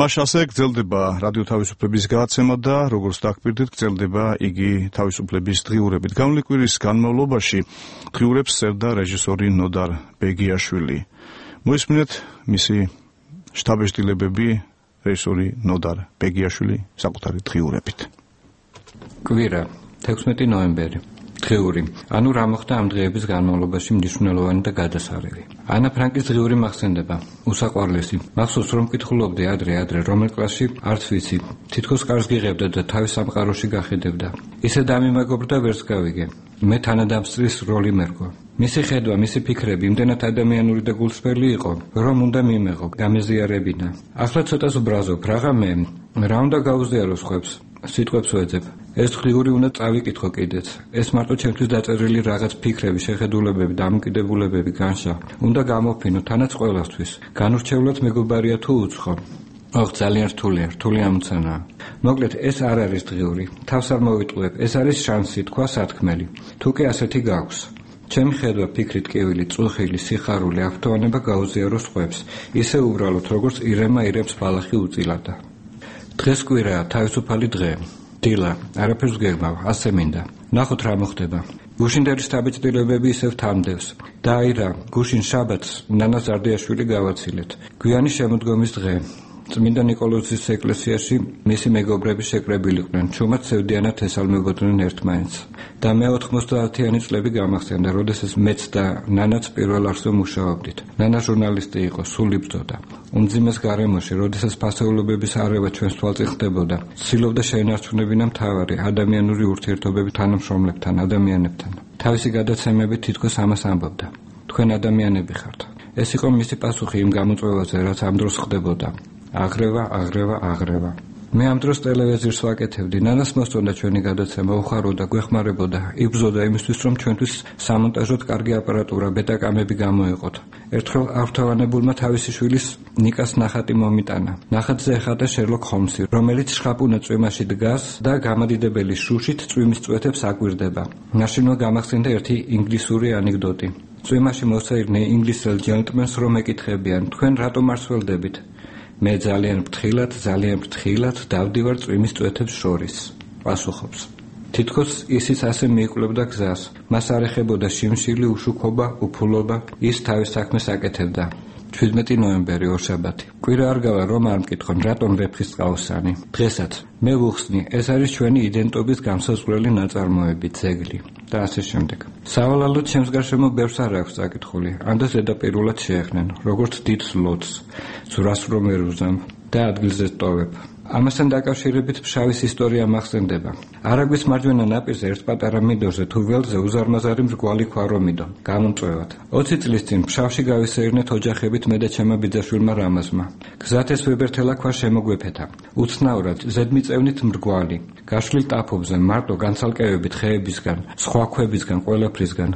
მას ასე გრძელდება რადიო თავისუფლების გადაცემა და როგორც დაგკვირდით, გრძელდება იგი თავისუფლების დღიურებით. გამლი კვირის განმავლობაში დღიურებს წერდა რეჟისორი ნოდარ ბეგიაშვილი. მოისმინეთ მისი შთაბეჭდილებები რეჟისორი ნოდარ ბეგიაშვილი საკუთარი დღიურებით. კვირა 16 ნოემბერი. დღიური. ანუ რა მოხდა ამ დღეების განმავლობაში მნიშვნელოვანი და გადასარევი. ანა ფრანკის დღიური მახსენდება. უსაყვარლესი. მახსოვს რომ მკითხულობდი ადრე რომელ კლასში არც ვიცი. თითქოს კარს გიღებდა და თავის სამყაროში გახედებდა. ისე დამიმეგობრდა ვერც გავიგე. მე თანადამსწრის როლი მერგო. მისი ხედვა, მისი ფიქრები იმდენად ადამიანური და გულსხველი იყო, რომ უნდა მიმეღო, გამეზიარებინა. ახლა ცოტას ვბრაზობ, რაღა მე რა უნდა გაუზიარო სხვებს. სიტყვებს ვეძებ. ეს დღიური უნდა წავიკითხო კიდეც. ეს მარტო ჩემთვის დაწერილი რაღაც ფიქრები, შეხედულებები, დამოკიდებულებები, განშა. უნდა გამოფინო თანაც ყველასთვის. განურჩევლად მეგობარია თუ უცხო. ძალიან რთული ამოცანაა. მოკლედ, ეს არ არის დღიური. თავს არ მოვიტყუებ, ეს არის შანსი, თქვა სათქმელი. თუ კი ასეთი გაქვს. ჩემი ხედვა, ფიქრი, ტკივილი, წუხილი, სიხარული, აფრთოვანება გაუზიარო სხვებს. ისე უბრალოდ, როგორც ირემა ირემს ბალახი უწილადა. დღეს კვირაა, თავისუფალი დღე. დილა, არაფერს გეგმავ, ასე მინდა. ნახოთ რა მოხდება. გუშინდერის დაბეჭდილებები ისევ თამდევს. და აი რა, გუშინ შაბათს ნანა ზარდიაშვილი გავაცილეთ. გვიანი შემოდგომის დღე. წმინდა ნიკოლოზის ეკლესიაში მისი მეგობრები შეკრებილიყვნენ, ჩუმად სევდიანად ესალმებოდნენ ერთმანეთს. და მე 90-იანი წლები გამახსენდა, როდესაც მეც და ნანაც პირველ არსზე მუშაობდით. ნანა ჟურნალისტი იყო, სულ იბრძოდა. უმძიმეს გარემოში, როდესაც ფასეულობების არევა ჩვენს თვალწინ ხდებოდა, ცდილობდა შეინარჩუნებინა მთავარი ადამიანური ურთიერთობები თანამშრომლებთან, ადამიანებთან. თავისი გადაცემები თითქოს ამას ამბობდა. თქვენ ადამიანები ხართ. ეს იყო მისი პასუხი იმ გამოწვევაზე, რაც ამ დროს ხდებოდა. აღრევა. მე ამ დროს ტელევიზორს ვაკეთებდი. ნანას მოსწონდა ჩვენი გადაცემა, უხაროდა, გვეხმარებოდა, იბრძოდა იმისთვის, რომ ჩვენთვის სამონტაჟოდ კარგი აპარატურა, ბეტაკამები გამოეყოთ. ერთხელ ავთოვანებულმა თავისი შვილის ნიკას ნახატი მომიტანა. ნახატზე ეხატა შერლოკ ჰოლმსი, რომელიც შხაპუნა წვიმაში დგას და გამადიდებელი შუშით წვიმის წვეთებს აკვირდება. მაშინვე გამახსენდა ერთი ინგლისური ანეკდოტი. წვიმაში მოსაირნე ინგლისელ ჯენტლმენს რომ ეკითხებიან, თქვენ რატომ არ სველდებით? მე ძალიან ფრთხილად დავდივარ წვიმის წვეთებს შორის. პასუხობს. თითქოს ისიც ასე მიიკვლევდა გზას. მას არ ეხებოდა შიმშილი, უშუქობა, უფულობა, ის თავის საქმეს აკეთებდა. 17 ნოემბერი ორშაბათი. კვირა არ გავა რომ არ მკითხონ, რატომ ვეფხისტყაოსანი. დღესაც მე ვუხსნი, ეს არის ჩვენი იდენტობის განსაზღვრელი ნაწარმოები, ძეგლი და ასე შემდეგ. სავალალოდ ჩემს გარშემო ბევრს არ აქვს წაკითხული. ამდე ზედაპირულად შეეხნენ, როგორც დიდ ლოდს, ზურას რომ ვერ უზამ და ადგილზე ტოვებ. ამასთან დაკავშირებით ფშავის ისტორია მახსენდება. არაგვის მარჯვენა ნაპირზე ერთ პატარა მიდორზე თუ ველზე უზარმაზარი მრგვალი ქვა რომ მიდო, გამომწვევად. 20 წლის წინ ფშავში გავისეირნეთ ოჯახებით მე და ჩემმა ბიძაშვილმა რამაზმა. გზად ეს ვებერთელა ქვა შემოგვეფეთა. უცნაურად ზედმიწევნით მრგვალი. გაშლილ ტაფობზე მარტო განცალკევებით ხეებისგან, სხვა ქვებისგან, ყველაფრისგან.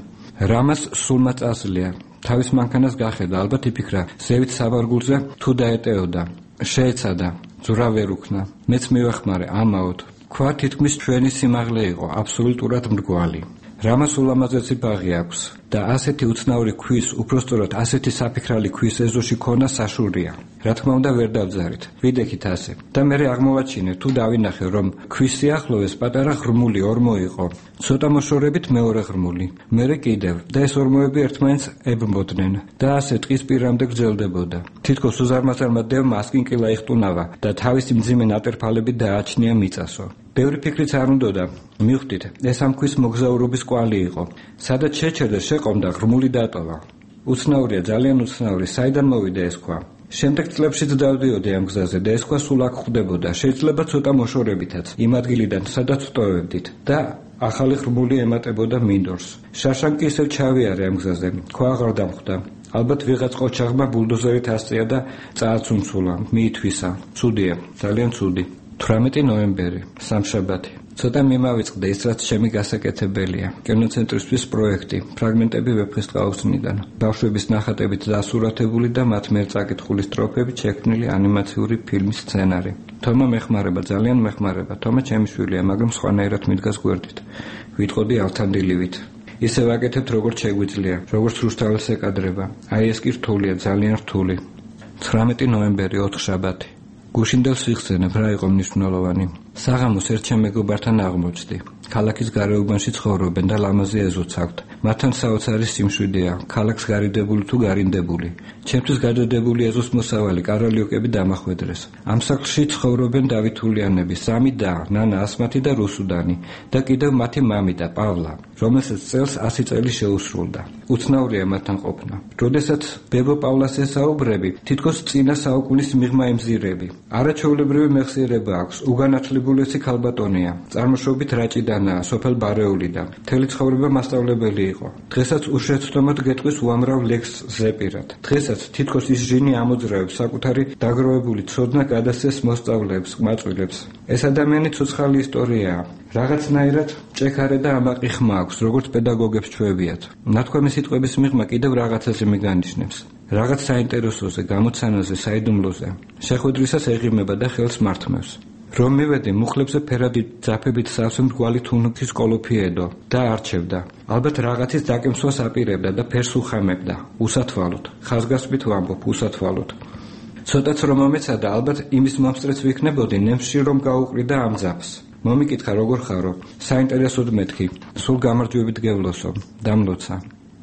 რამას სულმა წასლია. თავის მანქანას გახედა, ალბათ იფიქრა, ზევით საბარგულზე თუ დაეტეოდა. შეეცადა. ზურა ვერ უქნა. მეც მივახმარე, ამაოდ. ქვა თითქმის ჩვენი სიმაღლე იყო, აბსოლუტურად მრგვალი. რამას ულამაზესი ბაღი აქვს და ასეთი უცნაური ქვის, უпростоრად ასეთი საფიქრალი ქვის ეზოში ქონა საშურია. რა თქმა უნდა ვერ დავძარით. ვიდექით ასე. და მე აღმოვაჩინე თუ დავინახე რომ ქვის სიახლოვეს პატარა ღრმული ორმო იყო. ცოტა მოშორებით მეორე ღრმული. მერე კიდევ და ეს ორმოები ერთმანეთს ებრმოდნენ და ასე ტყის პირამდე გრძელდებოდა. თითქოს უზარმაზარმა დევმა ასკინკილა იხტუნავა და თავისი მძიმე ნატერფალები დააჩნია მიწასო. ბევრი ფიქრიც არ უნდოდა. მივხვდით, ეს ამ ქვის მოგზაურობის კვალი იყო. სადაც შეჩერდა შეყომდა ღრმული დატოვა. უცნაურია, ძალიან უცნაური, საიდან მოვიდა ეს ქვა? შემდეგ წლებშიც დავდიოდი ამ გზაზე და ეს ქვა სულ აქ ხვდებოდა. შეიძლება ცოტა მოშორებითაც, იმ ადგილიდან, სადაც ვტოვებდით და ახალი ღრმული ემატებოდა მინდორს. შაშან კი ისევ ჩავიარე ამ გზაზე. ქვა აღარ დამხვდა. ალბათ ვიღაც ყოჩაღმა ბულდოზერით ასწია და წააცუნცულა, მიითვისა. ცუდია, ძალიან ცუდი. 18 ნოემბერი, სამშაბათი. ცოტა მიმავიწყდა ის, რაც ჩემი გასაკეთებელია. კინოცენტრისთვის პროექტი, ფრაგმენტები ვეფხის ტყაოსნიდან. ბავშვების ნახატებით დასურათებული და მათ მიერ წაკითხული სტროფებით შექმნილი ანიმაციური ფილმის სცენარი. თომა მეხმარება, ძალიან მეხმარება. თომა ჩემი შვილია, მაგრამ სხვანაირად მიდგას გვერდით. ვიტყოდი ავთანდილივით. ისე ვაკეთებთ, როგორც შეგვიძლია, როგორც რუსთაველს ეკადრება. აი ეს კი რთულია, ძალიან რთული. 19 ნოემბერი, ოთხშაბათი. გუშინდელ სიხსენებ რა იყო მნიშვნელოვანი. საღამოს ერთ ჩემ მეგობართან აღმოჩნდი. ქალაქის გარეუბანში ცხოვრობენ და ლამაზი ეზოც აქვთ. მათთან საოცარი სიმშვიდეა, ქალაქს გარიდებული თუ გარინდებული. ჩემთვის გადადებული ეზოს მოსავალი კარალიოკები დამახვედრეს. ამ სახლში ცხოვრობენ დავითულიანები, 3 და, ნანა ასმათი და რუსუდანი და კიდევ მათი მამიდა პავლა, რომელსაც წელს 100 წელი შეუსრულდა. უცნაურია მათთან ყოფნა. როდესაც ბებო პავლას ესაუბრები, თითქოს წინა საუკუნის მიღმა ემზირები. არაჩვეულებრივი მეხსიერება აქვს, უგანათლებულესი ქალბატონია, წარმოშობით რაჭიდანაა, სოფელ ბარეულიდან. მთელი ცხოვრება მასწავლებელი იყო. დღესაც უშეცდომოდ გეტყვის უამრავ ლექსს ზეპირად. დღესაც თითქოს ის ჟინი ამოძრავებს საკუთარი დაგროვებული ცოდნა გადასცეს მოსწავლეებს, ყმაწვილებს. ეს ადამიანი ცოცხალი ისტორიაა. რაღაცნაირად ჭექარე და ამაყი ხმა აქვს, როგორც პედაგოგებს ჩვევიათ. ნათქვამი სიტყვების მიღმა კიდევ რაღაცაზე მიგანიშნებს. რაღაც საინტერესოზე, გამოცანაზე, საიდუმლოზე. შეხვედრისას ეღიმება და ხელს მართმევს. რომ მივედი, მუხლებზე ფერადი ძაფებით სავსე მრგვალი თუნუქის კოლოფიედო და არჩევდა. ალბათ რაღაცის დაკემსვას აპირებდა და ფერს უხამებდა. უსათვალოდ. ხაზგასმით ვამბობ, უსათვალოდ. ცოტაც რომ მომეცადა, ალბათ იმის მომსწრეც ვიქნებოდი, ნემსში რომ გაუყრიდა ამ ძაფს. მომიკითხა როგორ ხარო, საინტერესოდ მეთქი, სულ გამარჯვებით გევლოსო, დამლოცა.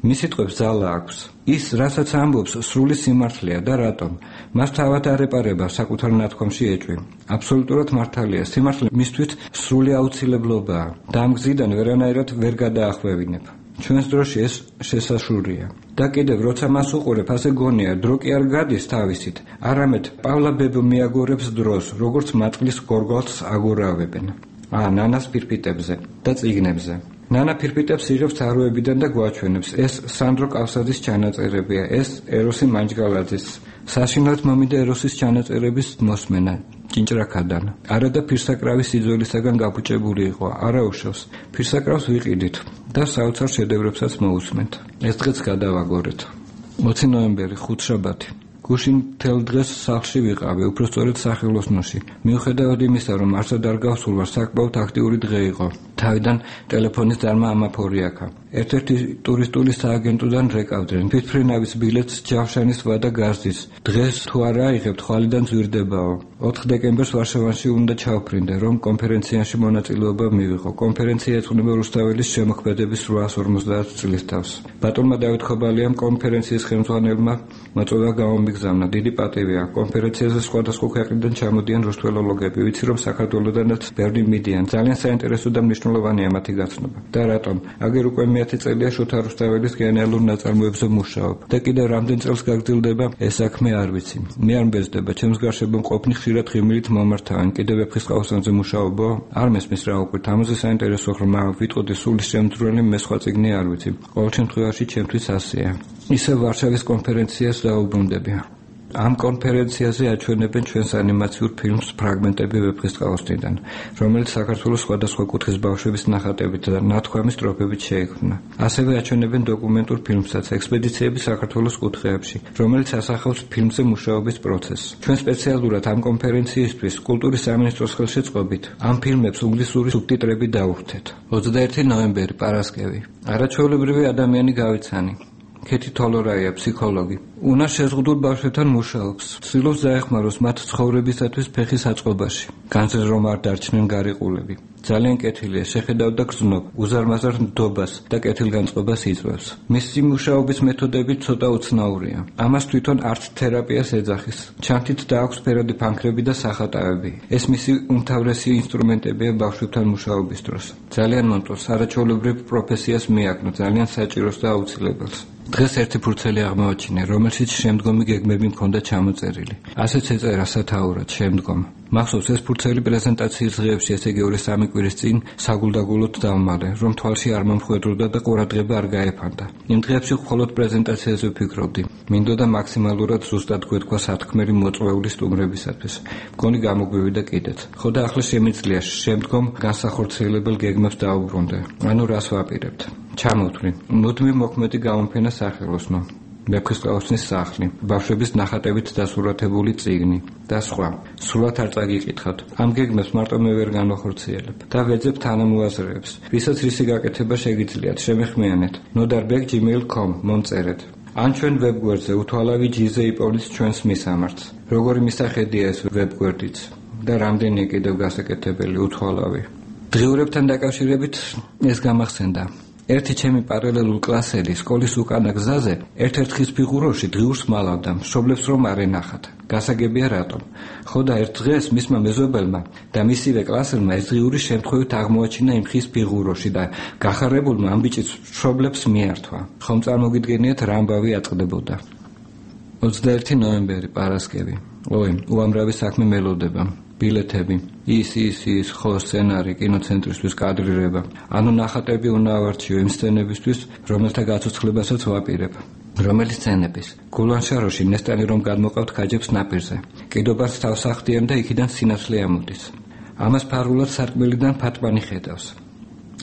მის სიტყვებს ძალა აქვს. ის, რასაც ამბობს, სრული სიმართლეა და რატომ? მას თავად არ ეპარება საკუთარ ნათქვამში ეჭვი. აბსოლუტურად მართალია, სიმართლე მისთვის სრული აუცილებლობაა და ამ გზიდან ვერანაირად ვერ გადაახვევინებ. ჩვენს დროში ეს შესაშურია. და კიდევ როცა მას უყურებ, ასე გონია, დრო კი არ გადის თავისით, არამედ პავლა ბებო მიაგორებს დროს, როგორც მატყლის გორგალს აგორავებენ. ნანას ფირფიტებზე და წიგნებზე. ნანა ფირფიტებს იღებს თაროებიდან და გვაჩვენებს. ეს სანდრო კავსაძის ჩანაწერებია, ეს ეროსი მანჯგალაძის. საშინლად მომიდა ეროსის ჩანაწერების მოსმენა ჭინჭრაქადან. არა და ფირსაკრავის სიძველისაგან გაფუჭებული იყო, არა უშავს. ფირსაკრავს ვიყიდით და საოცარ შედევრებსაც მოусმენთ. ეს დღეც გადავაგორეთ. 20 ნოემბერი, ხუთშაბათი. გუშინ მთელ დღეს სახლში ვიყავი, უпростоრად სახელოსნოში. მიუხედავად იმისა, რომ არსად არ გავსულ ვარ, საკმაოდ აქტიური დღე იყო. თავიდან ტელეფონის დარმა ამაფორიაქა. ერთ-ერთი ტურისტული სააგენტოდან რეკავდნენ. თვითფრინავის ბილეთს ჯავშანის ვადა გაზდის. დღეს თუ არა აიღებთ, ხვალიდან ძვირდებაო. 4 დეკემბერს ვარშავაში უნდა ჩავფრინდე, რომ კონფერენციაში მონაწილეობა მივიღო. კონფერენცია ეძღვნება რუსთაველის შემოქმედების 850 წლის თავს. ბატონმა დავით ხობალიამ კონფერენციის ხელმძღვანელმა მოწვევა გამომიგზავნა. დიდი პატივია. კონფერენციაზე სხვადასხვა ქვეყნიდან ჩამოდიან რუსთველოლოგები. ვიცი რომ საქართველოდანაც ბევრი მიდიან. ძალიან საინტერესო და მნიშვნელოვანია მათი გაცნობა. და რატომ? აგერ უკვე 10 წელია შოთა რუსთაველის გენეალურ ნაწარმოებზე მუშაობ. და კიდევ რამდენ წელს გაგრძელდება ეს საქმე არ ვიცი. მე არ მბეზდება, ჩემს გარშემო მყოფნი ხშირად ღიმილით მომართავენ. კიდევ ვეფხისტყაოსანზე მუშაობო? არ მესმის რა უკვე. თამაზე საინტერესო ღრმა, ვიტყოდი სულის შემძვრელი, მე სხვა წიგნი არ ვიცი. ყოველ შემთხვევაში ჩემთვის ასეა. ისევ ვარშავის კონფერენციას დაუბრუნდები. ამ კონფერენციაზე აჩვენებენ ჩვენს ანიმაციურ ფილმს ფრაგმენტები ვეფხისტყაოსნიდან, რომელიც საქართველოს სხვადასხვა კუთხის ბავშვების ნახატებით და ნათქვამის სტროფებით შეიქმნა. ასევე აჩვენებენ დოკუმენტურ ფილმსაც ექსპედიციები საქართველოს კუთხეებში, რომელიც ასახავს ფილმზე მუშაობის პროცესს. ჩვენ სპეციალურად ამ კონფერენციისთვის კულტურის სამინისტროს ხელშეწყობით ამ ფილმებს ინგლისური სუბტიტრები დავუხდეთ. 21 ნოემბერი, პარასკევი. არაჩვეულებრივი ადამიანი გავიცანი. ქეთი თოლორაია, ფსიქოლოგი. უნარ შეზღუდულ ბავშვებთან მუშაობს. ცდილობს დაეხმაროს მათ ცხოვრებისათვის ფეხის აწყობაში. განზრ რომ არ დარჩნენ გარიყულები. ძალიან კეთილია, შეხედავდა გრძნობ, უზარმაზარ ნდობას და კეთილგანწყობას იწვევს. მისი მუშაობის მეთოდები ცოტა უცნაურია. ამას თვითონ არტ თერაპიას ეძახის. ჩანთით დააქვს ფერადი ფანქრები და სახატავები. ეს მისი უმთავრესი ინსტრუმენტებია ბავშვებთან მუშაობის დროს. ძალიან მომწონს, არაჩვეულებრივ პროფესიას მიაკნო, ძალიან საჭიროს და აუცილებელს. დღეს ერთი ფურცელი აღმოაჩინე, რომელშიც შემდგომი გეგმები მქონდა ჩამოწერილი. ასეც ეწერა სათაურად შემდგომ. მახსოვს ეს ფურცელი პრეზენტაციის დღეებში, ესე იგი 2-3 კვირის წინ საგულდაგულოდ დავმალე, რომ თვალში არ მომხვედროდა და ყურადღება არ გაეფანტა. იმ დღეებში მხოლოდ პრეზენტაციაზე ვფიქრობდი. მინდოდა მაქსიმალურად ზუსტად გვეთქვა სათქმელი მოწვეული სტუმრებისათვის. მგონი გამოგვივიდა კიდეც. ხო და ახლა შემიძლია შემდგომ განსახორციელებელ გეგმებს დაუბრუნდე. ანუ რას ვაპირებთ? ჩამოვთვლი. მუდმივ მოქმედი გამოფენა სახელოსნო. ვეფხისტყაოსნის სახლი, ბავშვების ნახატებით დასურათებული წიგნი და სხვა. სრულად არ წაგიკითხავთ. ამ გეგმებს მარტო მე ვერ განვახორციელებ და ვეძებ თანამოაზრეებს. ვისაც რისი გაკეთება შეგიძლიათ, შემეხმიანეთ. nodarbek@gmail.com მომწერეთ. ან ჩვენ ვებგვერდზე უთვალავი ჯიზე იპოვნის ჩვენს მისამართს. როგორი მისახედია ეს ვებგვერდიც და რამდენია კიდევ გასაკეთებელი უთვალავი. დღიურებთან დაკავშირებით ეს გამახსენდა. ერთი ჩემი პარალელულ კლასელი სკოლის უკანა გზაზე ერთ-ერთ ხის ფიგუროში დღიურს მალავდა, მშობლებს რომ არ ენახათ. გასაგებია რატომ. ხო და ერთ დღეს მისმა მეზობელმა და მისივე კლასელმა ეს დღიური შემთხვევით აღმოაჩინა იმ ხის ფიგუროში და გახარებულმა ამ ბიჭის მშობლებს მიართვა. ხომ წარმოგიდგენიათ რა ამბავი აწყდებოდა. 21 ნოემბერი, პარასკევი. უამრავი საქმე მელოდება. ბილეთები, ის, ხო, სცენარი, კინოცენტრისთვის კადრირება. ანუ ნახატები უნდა ავარჩიო იმ სცენებისთვის, რომელთა გაცოცხლებასაც ვაპირებ. რომელი სცენების? გულანშაროში ნესტანი რომ გადმოყავთ ქაჯებს ნაპირზე. კიდობას თავს ახდიან და იქიდან სინათლე ამოდის. ამას ფარულად სარკმელიდან ფატმანი ხედავს.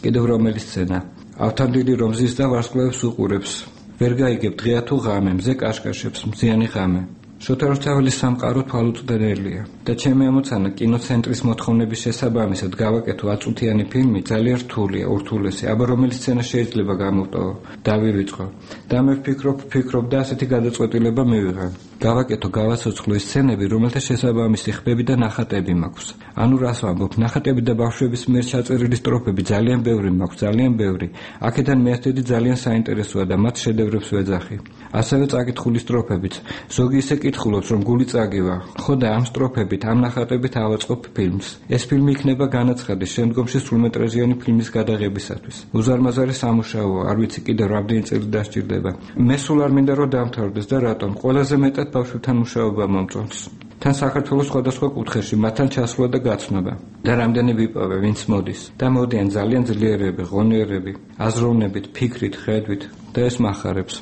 კიდევ რომელი სცენა? ავთანდილი რომ ზის და ვარსკვლავებს უყურებს. ვერ გაიგებ დღეა თუ ღამე, მზე კაშკაშებს, მზიანი ღამე. შოთა რუსთაველის სამყარო თვალუწვდენელია და ჩემი ამოცანა კინოცენტრის მოთხოვნების შესაბამისად გავაკეთო აწუთიანი ფილმი ძალიან რთულია, ურთულესი, აბა რომელი სცენა შეიძლება გამოვტოვო, დავივიწყო და მე ვფიქრობ და ასეთი გადაწყვეტილება მივიღე. გავაკეთო, გავაცოცხლო ის სცენები, რომელთა შესაბამისი ხმები და ნახატები მაქვს. ანუ რას ვამბობ, ნახატები და ბავშვების მიერ ჩაწერილი სტროფები ძალიან ბევრი მაქვს, ძალიან ბევრი. აქედან მეათედი ძალიან საინტერესოა და მათ შედევრებს ვეძახი. ასევე წაკითხული სტროფებიც. ზოგი ისე კითხულობს, რომ გული წაგივა. ხო და ამ სტროფებით, ამ ნახატებით ავაწყობ ფილმს. ეს ფილმი იქნება განაცხადი შემდგომში სრულმეტრაჟიანი ფილმის გადაღებისათვის. უზარმაზარი სამუშაოა, არ ვიცი კიდევ რამდენი წელი დასჭირდება. მე სულ არ მინდა რომ დამთავრდეს და რატომ? ყველაზე მეტად ბავშვებთან მუშაობა მომწონს. თან საქართველოს სხვადასხვა კუთხეში მათთან ჩასვლა და გაცნობა. და რამდენი ვიპოვე, ვინც მოდის. და მოდიან ძალიან ძლიერები, ღონიერები, აზროვნებით, ფიქრით, ხედვით და ეს მახარებს.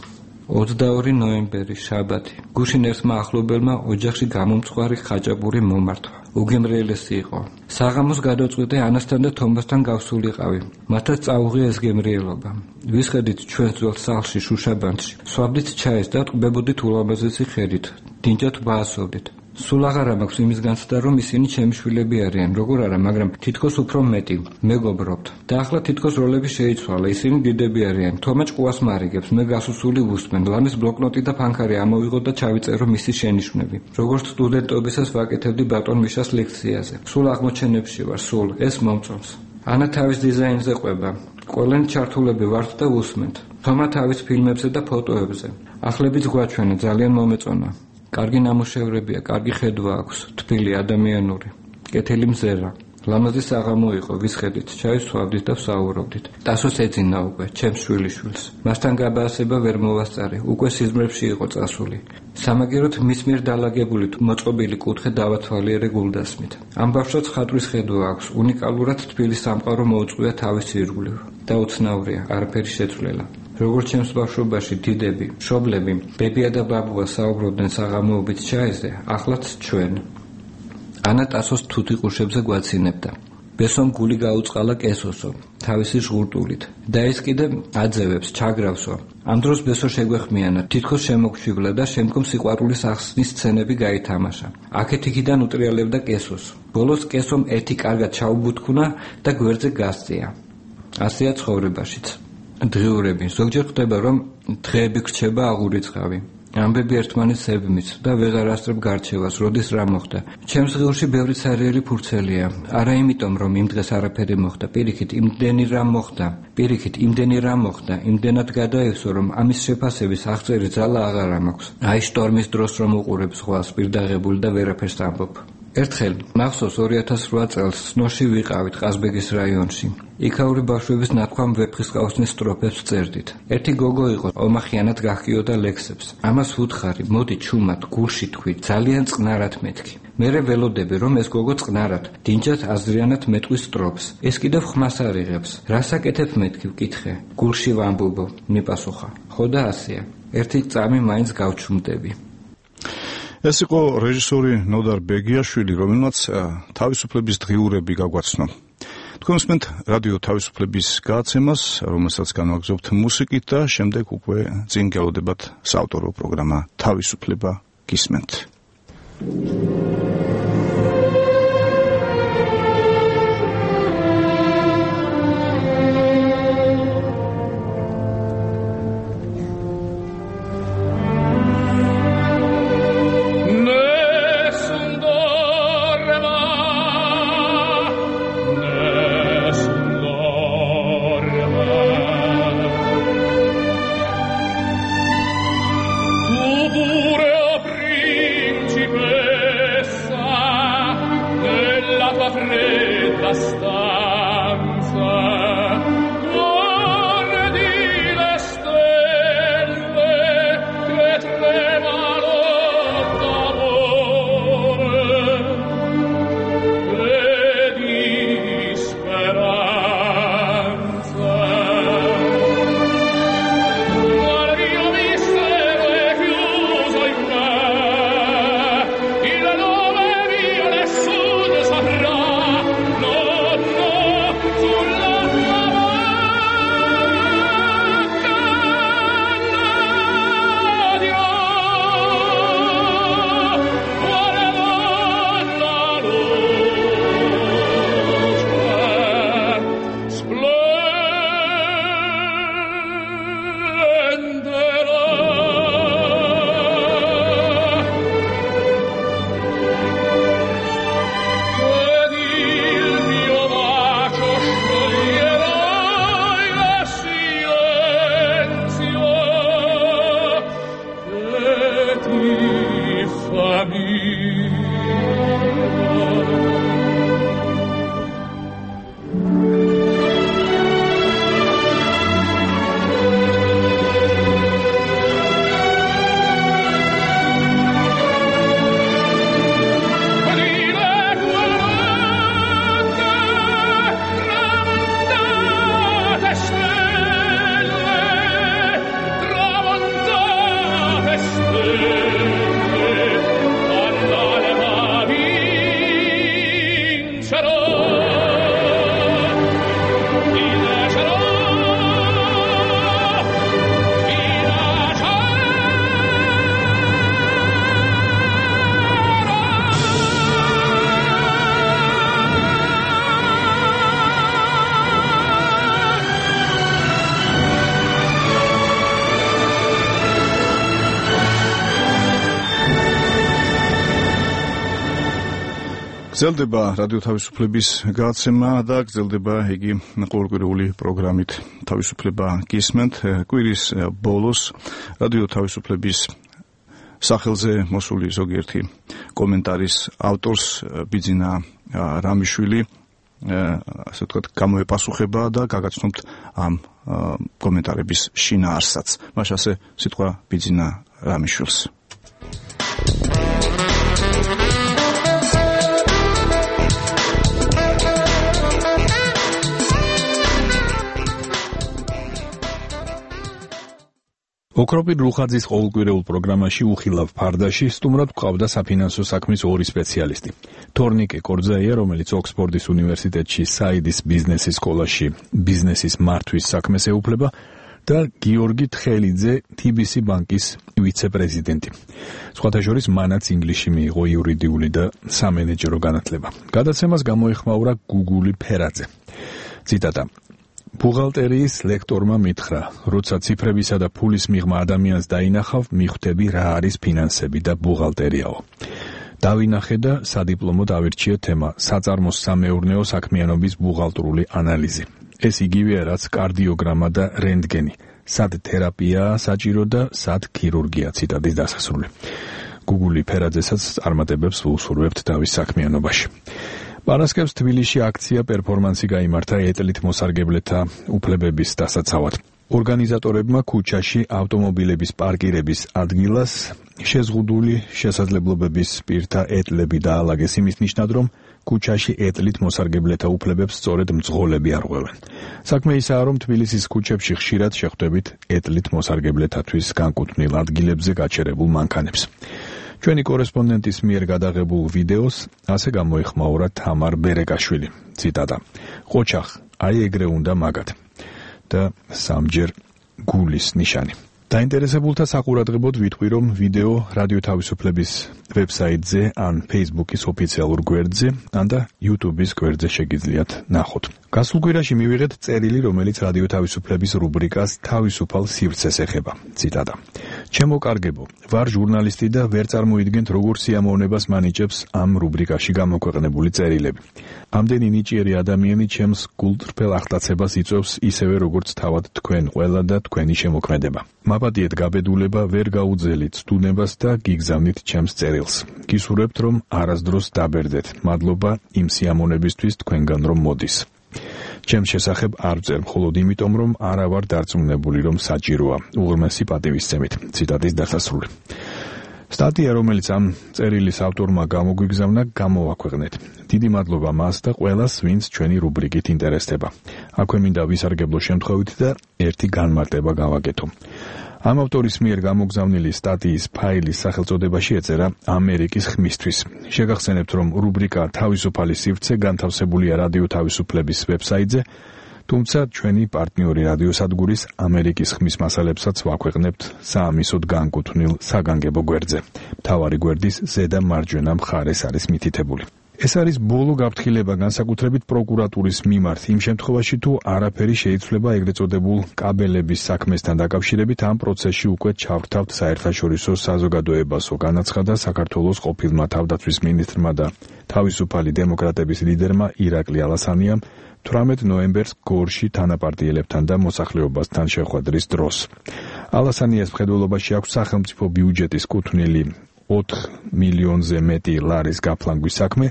22 ნოემბერი, შაბათი. გუშინ ერთმა ახლობელმა ოჯახში გამომწვარი ხაჭაპური მომართვა. უგემრიელესი იყო. საღამოს გადავწყვიტე ანასთან და თომასთან გავსულიყავი. მათაც წაუღია ეს გემრიელობა. ვისხედით ჩვენ ძველ სახლში შუშაბანდში. swabdit ჩაის და ტყბებოდით ულამაზესი ხედით. დინჯად ვაასოვდით. სულ აღარა მაქვს იმის განცდა, რომ ისინი ჩემი შვილები არიან, როგორ არა, მაგრამ თითქოს უფრო მეტი. მეგობრობთ. და ახლა თითქოს როლები შეიცვალა, ისინი დიდები არიან. თომა ჭკუას მარიგებს, მე გასუსული ვუსმენ. ლამის ბლოკნოტი და ფანქარი ამოვიღო და ჩავიწერო მისი შენიშვნები. როგორც სტუდენტობისას ვაკეთებდი ბატონ მიშას ლექციაზე. სულ აღმოჩენებში ვარ, სულ ეს მომწონს. ანა თავის დიზაინზე ყვება. ყველანი ჩართულები ვართ და ვუსმენთ. თომა თავის ფილმებზე და ფოტოებზე. ახლებიც გვაჩვენა, ძალიან მომეწონა. კარგი ნამუშევრებია, კარგი ხედვა აქვს, თბილი, ადამიანური, კეთილი მზერა. ლამაზი საღამო იყო, ვისხედით, ჩაისვავდით და ვსაუბრობდით. ტასოს ეძინა უკვე, ჩემს შვილიშვილს. მასთან გაბაასება ვერ მოვასწარი, უკვე სიზმრებში იყო წასული. სამაგეროთ მის მიერ დალაგებული მოწყობილი კუთხე დავათვალიერე გულდასმით. ამ ბავშვს ხატვის ხედვა აქვს, უნიკალურად თბილი სამყარო მოუწყვია თავის ირგვლივ და უცნაურია, არაფერი შეცვლილა. როგორც ჩემს ბავშვობაში დიდები, მშობლები, ბებია და ბაბუა საუბრობდნენ საღამოობით ჩაეზე, ახლაც ჩვენ. ანა ტასოს თუთი ყურშებზე გვაცინებდა. ბესომ გული გაუწყალა კესოსო, თავისი ჟღურტულით. და ეს კიდე აძევებს, ჩაგრავსო. ამ დროს ბესო შეგვეხმიანა, თითქოს შემოგჩივლა და შემდგომ სიყვარულის ახსნის სცენები გაითამაშა. აქეთ-იქიდან უტრიალებდა კესოს. ბოლოს კესომ ერთი კარგად ჩაუბუთქუნა და გვერდზე გასწია. ასეა ცხოვრებაშიც. დღიურები, ზოგჯერ ხდება, რომ დღეები გრჩება აღურიცხავი. ამბები ერთმანეთს ებმის და ვეღარ ასწრებ გარჩევას, როდის რა მოხდა. ჩემს ღიურში ბევრი ცარიელი ფურცელია. არა იმიტომ, რომ იმ დღეს არაფერი მოხდა, პირიქით იმდენი რამ მოხდა, იმდენად გადაევსო, რომ ამის შეფასების აღწერი ძალა აღარ მაქვს. აი შტორმის დროს რომ უყურებ ზღვას პირდაღებული და ვერაფერს ამბობ. ერთხელ მახსოვს 2008 წელს სნოში ვიყავით ყაზბეგის რაიონში. იქაური ბავშვების ნათქვამ ვეფხისტყაოსნის სტროფებს წერდით. ერთი გოგო იყო, ომახიანად გახკიოდა ლექსებს. ამას ვუთხარი, მოდი ჩუმად, გულში თქვი, ძალიან წყნარად მეთქი. მერე ველოდები, რომ ეს გოგო წყნარად, დინჯად აზრიანად მეტყვის სტროფს. ეს კიდევ ხმას არიღებს. რასაკეთებ მეთქი, ვკითხე. გულში ვამბობო, მიპასუხა. ხო და ასეა. ერთი წამი მაინც გავჩუმდები. ეს იყო რეჟისორი ნოდარ ბეგიაშვილი, რომელმაც თავისუფლების დღიურები გაგვაცნო. თქვენ უსმენთ რადიო თავისუფლების გადაცემას, რომელსაც განვაგრძობთ მუსიკით და შემდეგ უკვე წინ გელოდებათ საავტორო პროგრამა თავისუფლება გისმენთ. გრძელდება რადიო თავისუფლების გადაცემა და გრძელდება იგი ყოველკვირეული პროგრამით თავისუფლება გისმენთ. კვირის ბოლოს რადიო თავისუფლების სახელზე მოსული ზოგიერთი კომენტარის ავტორს ბიძინა რამიშვილი ასე ვთქვათ გამოეპასუხება და გაგაცნობთ ამ კომენტარების შინაარსსაც. მაშ ასე სიტყვა ბიძინა რამიშვილს. ოქროპირ ლუხაძის ყოველკვირეულ პროგრამაში უხილავ ფარდაში სტუმრად გვყავდა საფინანსო საქმის ორი სპეციალისტი. თორნიკე კორძაია, რომელიც ოქსფორდის უნივერსიტეტში საიდის ბიზნესის სკოლაში ბიზნესის მართვის საქმეს ეუფლება და გიორგი თხელიძე TBC ბანკის ვიცე-პრეზიდენტი. სხვათა შორის მანაც ინგლისში მიიღო იურიდიული და სამენეჯერო განათლება. გადაცემას გამოეხმაურა გუგული ფერაძე. ციტატა: ბუღალტერიის ლექტორმა მითხრა, როცა ციფრებისა და ფულის მიღმა ადამიანს დაინახავ, მიხვდები რა არის ფინანსები და ბუღალტერიაო. დავინახე და სადიპლომო დავირჩიე თემა საწარმოს სამეურნეო საქმიანობის ბუღალტრული ანალიზი. ეს იგივეა, რაც კარდიოგრამა და რენტგენი. სად თერაპიაა საჭირო და სად ქირურგია. ციტატის დასასრული. გუგული ფერაძესაც წარმატებებს ვუსურვებთ თავის საქმიანობაში. პარასკევს თბილისში აქცია პერფორმანსი გაიმართა ეტლით მოსარგებლეთა უფლებების დასაცავად. ორგანიზატორებმა ქუჩაში ავტომობილების პარკირების ადგილას შეზღუდული შესაძლებლობების პირთა ეტლები დაალაგეს იმის ნიშნად, რომ ქუჩაში ეტლით მოსარგებლეთა უფლებებს სწორედ მძღოლები არღვევენ. საქმე ისაა, რომ თბილისის ქუჩებში ხშირად შეხვდებით ეტლით მოსარგებლეთათვის განკუთვნილ ადგილებზე გაჩერებულ მანქანებს. ჩვენი კორესპონდენტის მიერ გადაღებულ ვიდეოს ასე გამოეხმაურა თამარ ბერეკაშვილი. ციტატა: ყოჩახ, აი ეგრე უნდა მაგათ და სამჯერ გულის ნიშანი. დაინტერესებულთა საყურადღებოდ ვიტყვი, რომ ვიდეო რადიო თავისუფლების ვებსაიტზე ან Facebook-ის ოფიციალურ გვერდზე, ან და YouTube-ის გვერდზე შეგიძლიათ ნახოთ. გასულ კვირაში მივიღეთ წერილი, რომელიც რადიო თავისუფლების რუბრიკას თავისუფალ სივრცეს ეხება. ციტატა: ჩემო კარგებო, ვარ ჟურნალისტი და ვერ წარმოიდგენთ, როგორ სიამოვნებას მანიჭებს ამ რუბრიკაში გამოქვეყნებული წერილები. ამდენი ნიჭიერი ადამიანი ჩემს გულწრფელ ახტაცებას იწვევს ისევე, როგორც თავად თქვენ ყველა და თქვენი შემოქმედება. მაპატიეთ გაბედულება, ვერ გაუძელით ცდუნებას და გიგზავნით ჩემს წერილს. გისურვებთ, რომ არასდროს დაბერდეთ. მადლობა იმ სიამოვნებისთვის თქვენგან რომ მოდის. ჩემს შესახებ არ ვწერ, მხოლოდ იმიტომ, რომ არა ვარ დარწმუნებული, რომ საჭიროა. უღრმესი პატივისცემით. ციტატის დასასრული. სტატია, რომელიც ამ წერილის ავტორმა გამოგვიგზავნა, გამოვაქვეყნეთ. დიდი მადლობა მას და ყველას, ვინც ჩვენი რუბრიკით ინტერესდება. აქვე მინდა ვისარგებლო შემთხვევით და ერთი განმარტება გავაკეთო. ამ ავტორის მიერ გამოგზავნილი სტატიის ფაილის სახელწოდებაში ეწერა ამერიკის ხმისთვის. შეგახსენებთ, რომ რუბრიკა თავისუფალი სივრცე განთავსებულია რადიო თავისუფლების ვებსაიტზე, თუმცა ჩვენი პარტნიორი რადიოსადგურის ამერიკის ხმის მასალებსაც ვაქვეყნებთ საამისოდ განკუთვნილ საგანგებო გვერდზე. მთავარი გვერდის ზედა მარჯვენა მხარეს არის მითითებული. ეს არის ბოლო გაფრთხილება განსაკუთრებით პროკურატურის მიმართ იმ შემთხვევაში, თუ არაფერი შეიცვლება ეგრეთ წოდებულ კაბელების საქმესთან დაკავშირებით. ამ პროცესში უკვე ჩავრთავთ საერთაშორისო საზოგადოებასო, განაცხადა საქართველოს ყოფილმა თავდაცვის მინისტრმა და თავისუფალი დემოკრატების ლიდერმა ირაკლი ალასანიამ 18 ნოემბერს გორში თანაპარტიელებთან და მოსახლეობასთან შეხვედრის დროს. ალასანიას მხედველობაში აქვს სახელმწიფო ბიუჯეტის კუთვნილი 4 მილიონზე მეტი ლარის გაფლანგვის საქმე,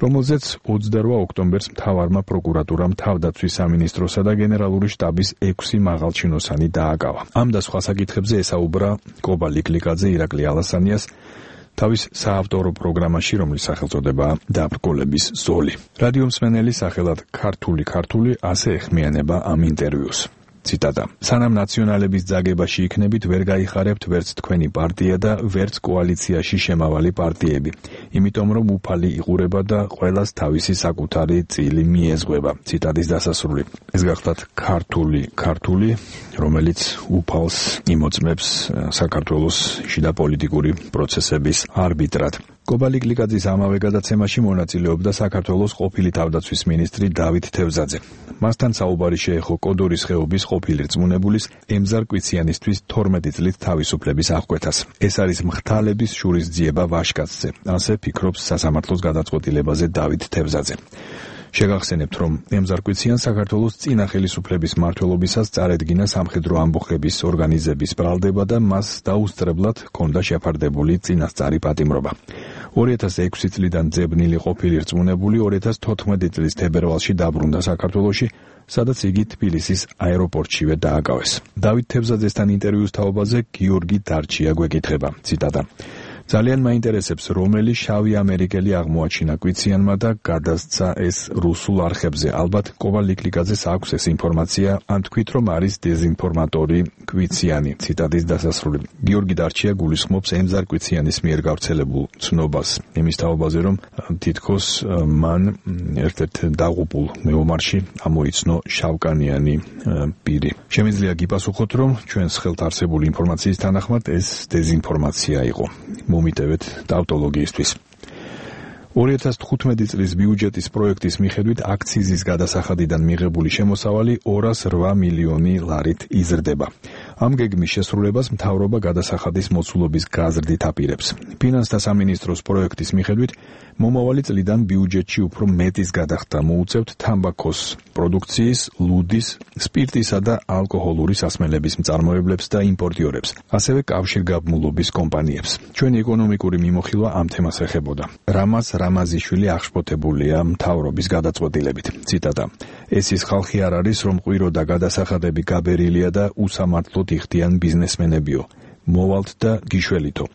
რომელზეც 28 ოქტომბერს მთავარმა პროკურატურამ თავდაცვის სამინისტროსა და გენერალური შტაბის 6 მაღალჩინოსანი დააკავა. ამ და სხვა საკითხებზე ესაუბრა კობა ლიკლიკაძე ირაკლი ალასანიას თავის საავტორო პროგრამაში, რომლის სახელწოდებაა დაბრკოლების ზოლი. რადიო მსმენელი სახელად ქართული ასე ეხმიანება ამ ინტერვიუს. ციტატა: სანამ ნაციონალების ძაგებაში იქნებით, ვერ გაიხარებთ ვერც თქვენი პარტია და ვერც კოალიციაში შემავალი პარტიები. იმიტომ რომ უფალი იყურება და ყველას თავისი საკუთარი წილი მიეზღვება. ციტატის დასასრული. ეს გახლავთ ქართული, რომელიც უფალს იმოწმებს საქართველოს შიდა პოლიტიკური პროცესების არბიტრად. კობა ლიკლიკაძის ამავე გადაცემაში მონაწილეობდა საქართველოს ყოფილი თავდაცვის მინისტრი დავით თევზაძე. მასთან საუბარი შეეხო კოდორის ხეობის ყოფილი რწმუნებულის ემზარ კვიციანისთვის 12 წლით თავისუფლების აღკვეთას. ეს არის მღთალების შურისძიება ვაშკაცზე, ასე ფიქრობს სასამართლოს გადაწყვეტილებაზე დავით თევზაძე. შეგახსენებთ, რომ ემზარ კვიციანს საქართველოს წინა ხელისუფლების მმართველობისას წარედგინა სამხედრო ამბოხების ორგანიზების ბრალდება და მას დაუსწრებლად ჰქონდა შეფარდებული წინასწარი პატიმრობა. 2006 წლიდან ძებნილი ყოფილი რწმუნებული 2014 წლის თებერვალში დაბრუნდა საქართველოში, სადაც იგი თბილისის აეროპორტშივე დააკავეს. დავით თევზაძესთან ინტერვიუს თაობაზე გიორგი დარჩია გვეკითხება. ციტატა: ძალიან მაინტერესებს, რომელი შავი ამერიკელი აღმოაჩინა კვიციანმა და გადასცა ეს რუსულ არხებზე. ალბათ კოვალიკლიკაძეს აქვს ეს ინფორმაცია, ან თქვით, რომ არის დეზინფორმატორი კვიციანი. ციტატის დასასრული. გიორგი დარჩია გულისხმობს ემზარ კვიციანის მიერ გავრცელებულ ცნობას. იმის თაობაზე, რომ თითქოს მან ერთ-ერთ დაღუპულ მეომარში ამოიცნო შავკანიანი პირი. შემიძლია გიპასუხოთ, რომ ჩვენს ხელთ არსებული ინფორმაციის თანახმად ეს დეზინფორმაცია იყო. მომიტევეთ ტავტოლოგიისთვის. 2015 წლის ბიუჯეტის პროექტის მიხედვით აქციზის გადასახადიდან მიღებული შემოსავალი 208 მილიონი ლარით იზრდება. ამ გეგმის შესრულებას მთავრობა გადასახადის მოცულობის გაზრდით აპირებს. ფინანსთა სამინისტროს პროექტის მიხედვით მომავალი წლიდან ბიუჯეტში უფრო მეტის გადახდა მოუწევთ თამბაქოს პროდუქციის, ლუდის, სპირტისა და ალკოჰოლური სასმელების მწარმოებლებს და იმპორტიორებს, ასევე კავშირგაბმულობის კომპანიებს. ჩვენი ეკონომიკური მიმოხილვა ამ თემას ეხებოდა. რამაზ რამაზიშვილი აღშფოთებულია მთავრობის გადაწყვეტილებით. ციტატა: ეს ის ხალხი არ არის, რომ ყვირო და გადასახადები გაბერილია და უსამართლოდ იხდიან ბიზნესმენებიო. მოვალთ და გიშველითო.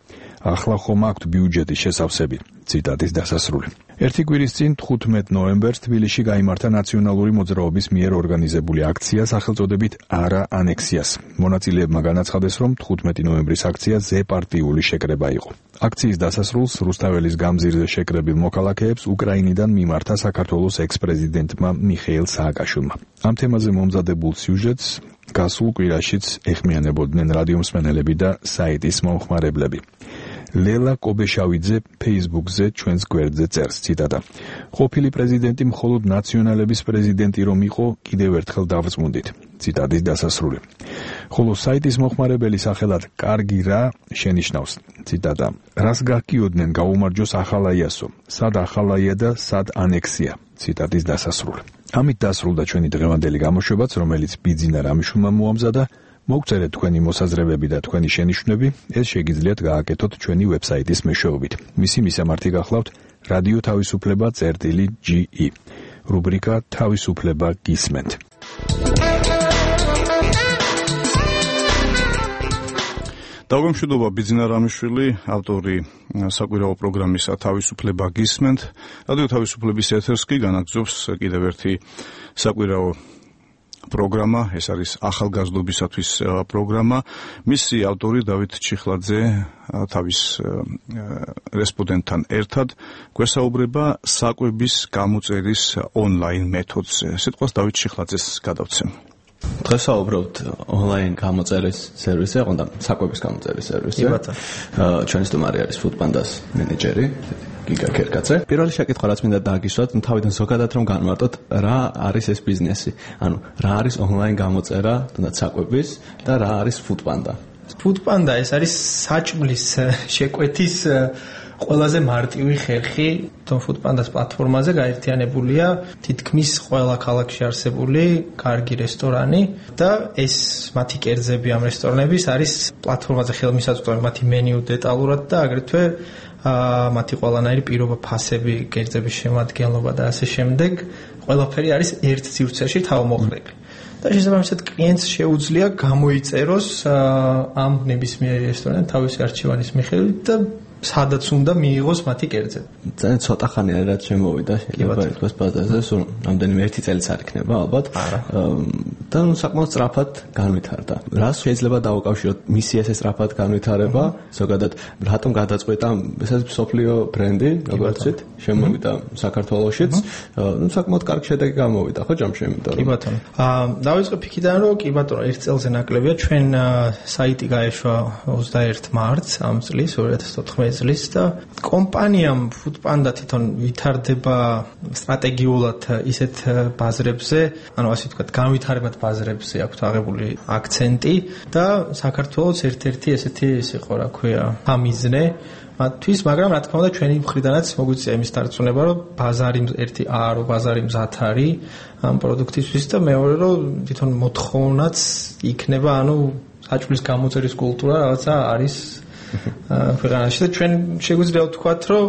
ახლა ხომ აქვთ ბიუჯეტის შესავსები. ციტატის დასასრული. ერთი კვირის წინ 15 ნოემბერს თბილისში გაიმართა ნაციონალური მოძრაობის მიერ ორგანიზებული აქცია სახელწოდებით არა ანექსიას. მონაწილეებმა განაცხადეს, რომ 15 ნოემბრის აქცია ზეპარტიული შეკრება იყო. აქციის დასასრულს რუსთაველის გამზირზე შეკრებილ მოქალაქეებს უკრაინიდან მიმართა საქართველოს ექს-პრეზიდენტმა მიხეილ სააკაშვილმა. ამ თემაზე მომზადებულ სიუჟეტს გასულ კვირაშიც ეხმიანებოდნენ რადიომსმენელები და საიტის მომხმარებლები. ლელა კობეშავიძე Facebook-ზე ჩვენს გვერდზე წერს, ციტატა: ყოფილი პრეზიდენტი მხოლოდ ნაციონალების პრეზიდენტი რომ იყო, კიდევ ერთხელ დავწმუნდით. ციტატის დასასრული. ხოლო საიტის მომხმარებელი სახელად კარგი რა შენიშნავს, ციტატა: რას გაგიოდნენ გაუმარჯოს ახალაიასო, სად ახალაია და სად ანექსია. ციტატის დასასრული. ამით დასრულდა ჩვენი დღევანდელი გამოშვებაც, რომელიც ბიძინა რამიშვილმა მოამზადა. მოგწერეთ თქვენი მოსაზრებები და თქვენი შენიშვნები, ეს შეგიძლიათ გააკეთოთ ჩვენი ვებსაიტის მეშვეობით. მისი მისამართი გახლავთ რადიო თავისუფლება წერტილი.ge. რუბრიკა თავისუფლება გისმენთ. დაგვემშვიდობა ბიძინა რამიშვილი, ავტორი საკვირაო პროგრამისა თავისუფლება გისმენთ. რადიო თავისუფლების ეთერს კი განაგრძობს კიდევ ერთი საკვირაო პროგრამა, ეს არის ახალგაზრდობისათვის პროგრამა. მისი ავტორი დავით ჩიხლაძე თავის რესპონდენტთან ერთად გვესაუბრება საკვების გამოწერის ონლაინ მეთოდზე. სიტყვას დავით ჩიხლაძეს გადავცემ. დღეს საუბრობთ ონლაინ გამოწერის სერვისზე, ყონდა საკვების გამოწერის სერვისზე. ჩვენი სტუმარი არის Foodpanda-ს მენეჯერი გიგა ქერკაცე. პირველი შეკითხვა რაც მინდა დააგისვათ, თავიდან ზოგადად რომ განმარტოთ, რა არის ეს ბიზნესი? ანუ რა არის ონლაინ გამოწერა, თუნდაც საკვების და რა არის Foodpanda? Foodpanda ეს არის საჭმლის შეკვეთის ყველაზე მარტივი ხერხი. Foodpanda-ს პლატფორმაზე გაერთიანებულია თითქმის ყველა ქალაქში არსებული კარგი რესტორანი და ეს მათი კერძები ამ რესტორნების არის პლატფორმაზე ხელმისაწვდომი მათი მენიუ დეტალურად და აგრეთვე მათი ყველანაირი პირობა ფასები, კერძების შემადგენლობა და ასე შემდეგ. ყველაფერი არის ერთ სივრცეში თავმოყრილი. და შესაბამისად კლიენტს შეუძლია გამოიწეროს ამ ნებისმიერი რესტორანი თავისი არჩევანის მიხედვით და სადაც უნდა მიიღოს მათი კერძები. ძალიან ცოტა ხანია რაც შემოვიდა, შეიძლება ითქვას ბაზარზე, სულ რამდენიმე ერთი წელიც არ იქნება ალბათ. და საკმაოდ სწრაფად განვითარდა. რას შეიძლება დავუკავშიროთ მისი ესე სწრაფად განვითარება, ზოგადად რატომ გადაწყვეტა ეს მსოფლიო ბრენდი, როგორც ვთქვით, შემოვიდა საქართველოშიც, საკმაოდ კარგი შედეგი გამოვიდა, ხო ჯამში, იმიტომ რომ კი ბატონო. დავიწყებ იქიდან, რომ კი ბატონო, ერთ წელზე ნაკლებია, ჩვენ საიტი გაეშვა 21 მარტს ამ წლის 2014 წლის და კომპანიამ Foodpanda თვითონ ვითარდება სტრატეგიულად ისეთ ბაზრებზე, ანუ ასე ვთქვათ, განვითარებად ბაზრებზე აქვს აღებული აქცენტი და საქართველოს ერთ-ერთი ესეთი ის იყო, რა ქვია, ამიზნე მათთვის, მაგრამ რა თქმა უნდა ჩვენი მხრიდანაც მოგვიწია იმის დარწმუნება, რომ ბაზარი ერთი რომ ბაზარი მზად არის ამ პროდუქტისთვის და მეორე რომ თვითონ მოთხოვნაც იქნება, ანუ საჭმლის გამოწერის კულტურა რაღაცა არის ქვეყანაში და ჩვენ შეგვიძლია ვთქვათ, რომ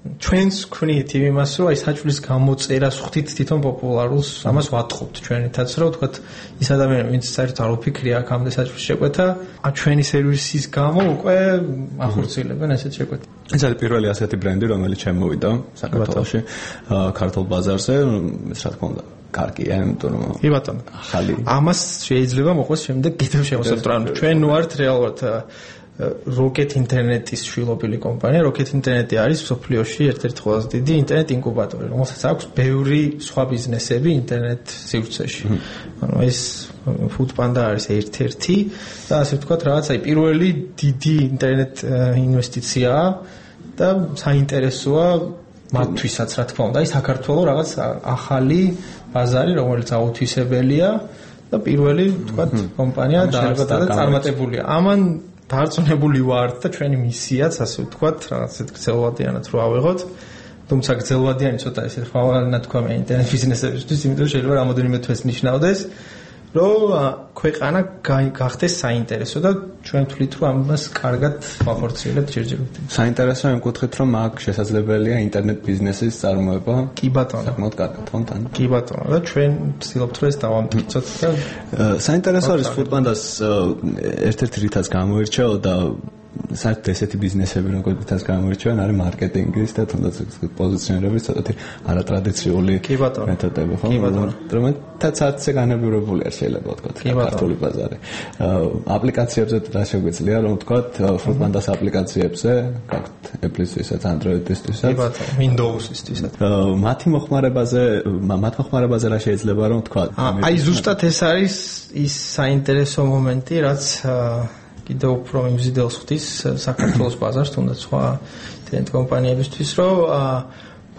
ჩვენს ქმნით იმას, რომ აი საჭმლის გამოწერას ხვდით თვითონ პოპულარულს, ამას ვატყობთ ჩვენითაც, რომ ვთქვათ, ის ადამიანი, ვინც საერთოდ არ უფიქრია აქამდე საჭმლის შეკვეთა, ჩვენი სერვისის გამო უკვე ახორციელებენ ესეთ შეკვეთას. ეს არის პირველი ასეთი ბრენდი, რომელიც შემოვიდა საქართველოში, ქართულ ბაზარზე, რა თქმა უნდა. კარგია, იმიტომ რომ კი ბატონო. ახალი. ამას შეიძლება მოყვეს შემდეგ კიდევ შევასწავლოთ. ანუ ჩვენ ვართ რეალურად Rocket Internet-ის შვილობილი კომპანია. Rocket Internet-ი არის მსოფლიოში ერთ-ერთი ყველაზე დიდი ინტერნეტ ინკუბატორი, რომელსაც აქვს ბევრი სხვა ბიზნესები ინტერნეტ სივრცეში. ანუ ეს Foodpanda არის ერთ-ერთი და ასე ვთქვათ, რაღაც აი პირველი დიდი ინტერნეტ ინვესტიციაა და საინტერესოა მათთვისაც, რა თქმა უნდა, აი საქართველოს რაღაც ახალი ბაზარი, რომელიც აუთვისებელია და პირველი, ვთქვათ, კომპანია დაარსდა და წარმატებულია. ამან დარწმუნებული ვართ და ჩვენი მისიაც, ასე ვთქვათ, რაღაც ეს გრძელვადიანად რო ავიღოთ. თუმცა გრძელვადიანი ცოტა ესე ხვალიანად თქვა მე ინტერნეტ ბიზნესებისთვის, იმიტომ რომ შეიძლება რამოდენიმე თვეს ნიშნავდეს, რომ ქვეყანა გახდეს საინტერესო და ჩვენ თვლით რომ ამას კარგად ვახორციელებთ ჯერჯერობით. საინტერესო იმ კუთხით რომ აქ შესაძლებელია ინტერნეტ ბიზნესის წარმოება. კი ბატონო. საკმაოდ კარგად თონთან. კი ბატონო და ჩვენ ვცდილობთ რომ ეს დავამტკიცოთ და საინტერესო არის Foodpanda-ს ერთ-ერთი რითაც გამოირჩევა და საერთოდ ესეთი ბიზნესები როგორიც გამოირჩევიან არის მარკეტინგის და თუნდაც პოზიციონირების ცოტათი არატრადიციული მეთოდები, ხო? რომელთაც არცე განებივრებული არ შეიძლება ვთქვათ ქართული ბაზარი. აპლიკაციებზე რა შეგვიძლია რომ ვთქვათ Foodpanda-ს აპლიკაციებზე, გაქვთ Apple-ისთვისაც, Android-ისთვისაც, კი ბატონო, Windows-ისთვისაც. მათ მოხმარებაზე რა შეიძლება რომ ვთქვათ? აი ზუსტად ეს არის ის საინტერესო მომენტი, რაც კიდევ უფრო მიმზიდელს ხვდის საქართველოს ბაზარს, თუნდაც სხვა ინტერნეტ კომპანიებისთვის, რომ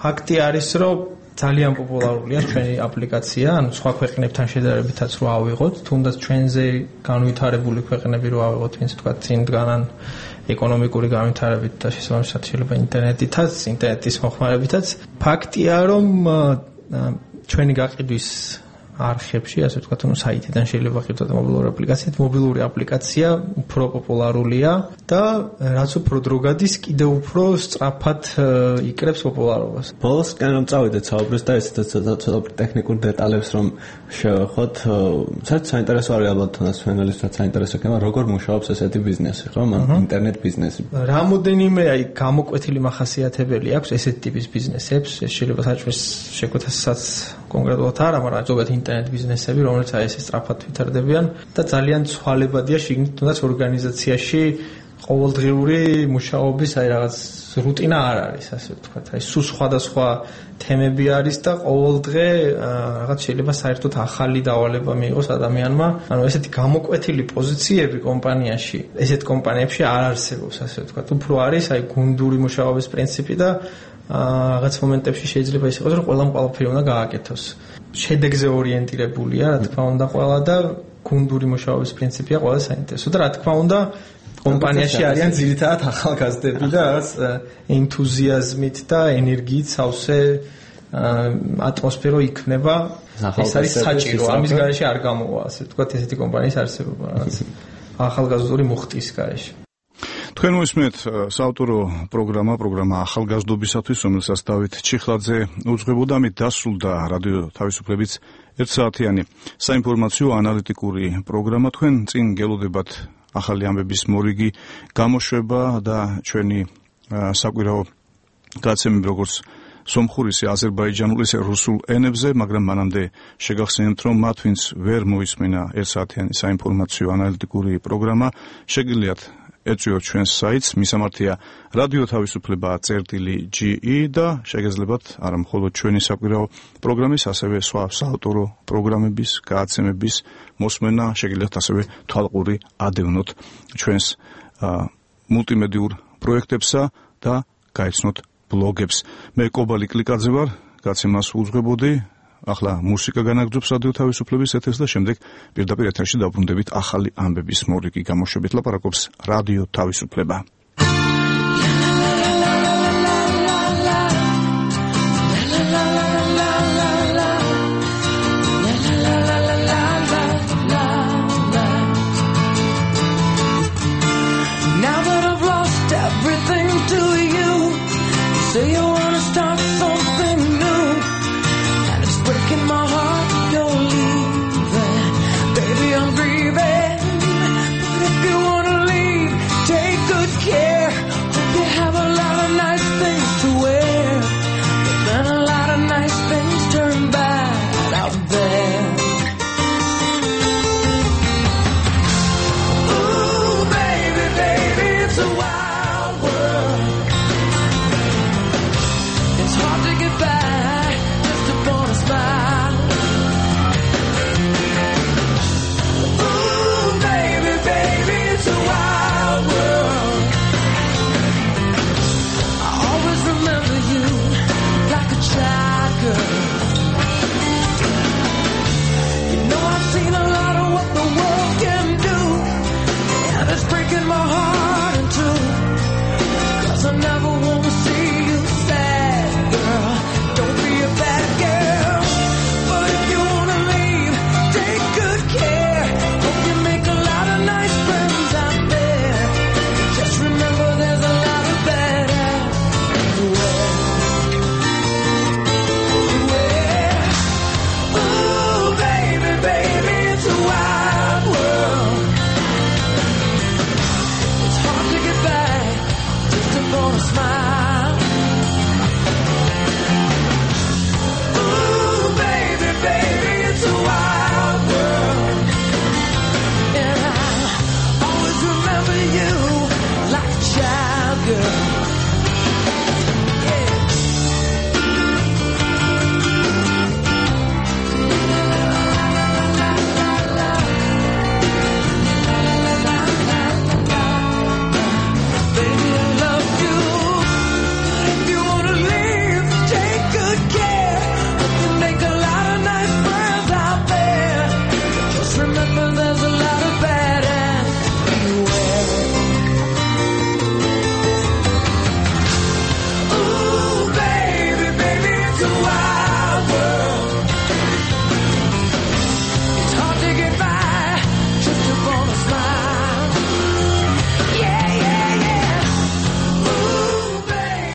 ფაქტი არის, რომ ძალიან პოპულარულია ჩვენი აპლიკაცია, ანუ სხვა ქვეყნებთან შედარებითაც რო ავიღოთ, თუნდაც ჩვენზე განვითარებული ქვეყნები რო ავიღოთ, ვინც თქვა წინ დგანან ეკონომიკური განვითარებით და შესაბამისად შეიძლება ინტერნეტის მოხმარებითაც. ფაქტია, რომ ჩვენი გაყიდვის არხებში, ასე ვთქვათ, ანუ საიტიდან შეიძლება ვაყიდოთ მობილური აპლიკაციით. მობილური აპლიკაცია უფრო პოპულარულია და რაც უფრო დრო გადის, კიდევ უფრო სწრაფად იკრებს პოპულარობას. ბოლოსკენ რომ წავიდეთ საუბრის და ესეც ცოტა ტექნიკურ დეტალებს რომ შევეხოთ, საერთოდ საინტერესო არის ალბათ თუნდაც ჩვენელისთვისაც საინტერესო იქნება, როგორ მუშაობს ესეთი ბიზნესი, ხო? ინტერნეტ ბიზნესი. რამოდენიმე აი გამოკვეთილი მახასიათებელი აქვს ესეთი ტიპის ბიზნესებს, ეს შეიძლება საჭმლის შეკვეთასაც კონკრეტულად არა, მაგრამ ზოგადად ინტერნეტ ბიზნესები, რომელიც აი ესე სწრაფად ვითარდებიან და ძალიან ცვალებადია შიგნით თუნდაც ორგანიზაციაში ყოველდღიური მუშაობის აი რაღაც რუტინა არ არის, ასე ვთქვათ. აი სულ სხვადასხვა თემები არის და ყოველდღე რაღაც შეიძლება საერთოდ ახალი დავალება მიიღოს ადამიანმა. ანუ ესეთი გამოკვეთილი პოზიციები კომპანიაში, ესეთ კომპანიებში არ არსებობს, ასე ვთქვათ. უფრო არის აი გუნდური მუშაობის პრინციპი და რაღაც მომენტებში შეიძლება ის იყოს, რომ ყველაფერი უნდა გააკეთოს. შედეგზე ორიენტირებულია, რა თქმა უნდა, ყველა და გუნდური მუშაობის პრინციპია ყველა საინტერესო და რა თქმა უნდა, კომპანიაში არიან ძირითადად ახალგაზრდები და რაღაც ენთუზიაზმით და ენერგიით სავსე ატმოსფერო იქნება. ეს არის საჭირო, ამის გარეშე არ გამოვა, ასე ვთქვათ, ესეთი კომპანიის არსებობა, რაღაც ახალგაზრდული მუხტის გარეშე. თქვენ მოისმენთ საავტორო პროგრამა ახალგაზრდობისათვის, რომელსაც დავით ჩიხლაძე უძღვებოდა. ამით დასრულდა რადიო თავისუფლების 1 საათიანი საინფორმაციო ანალიტიკური პროგრამა. თქვენ წინ გელოდებათ ახალი ამბების მორიგი გამოშვება და ჩვენი საკვირაო გაცემები როგორც სომხურისი, აზერბაიჯანული, რუსულ ენებზე, მაგრამ მანამდე შეგახსენებთ, რომ მათ ვინც ვერ მოისმენა 1 საათიანი საინფორმაციო ანალიტიკური პროგრამა, შეგიძლიათ ეწვიოთ ჩვენს საიტს, მისამართია რადიო თავისუფლება.ge და შეგეძლებათ არა მხოლოდ ჩვენი საკვირაო პროგრამის, ასევე სხვა საავტორო პროგრამების, გააცემების მოსმენა, შეგიძლიათ ასევე თვალყური ადევნოთ ჩვენს მულტიმედიურ პროექტებსა და გაიცნოთ ბლოგებს. მე კობალი კლიკაძე ვარ, გაცემას უძღვებოდი. ახლა მუსიკა განაგრძობს რადიო თავისუფლების ეთერს და შემდეგ პირდაპირ ეთერში დავბრუნდებით ახალი ამბების მორიგი გამოშვებით. ლაპარაკობს რადიო თავისუფლება. Now that I've lost everything to you, say you back.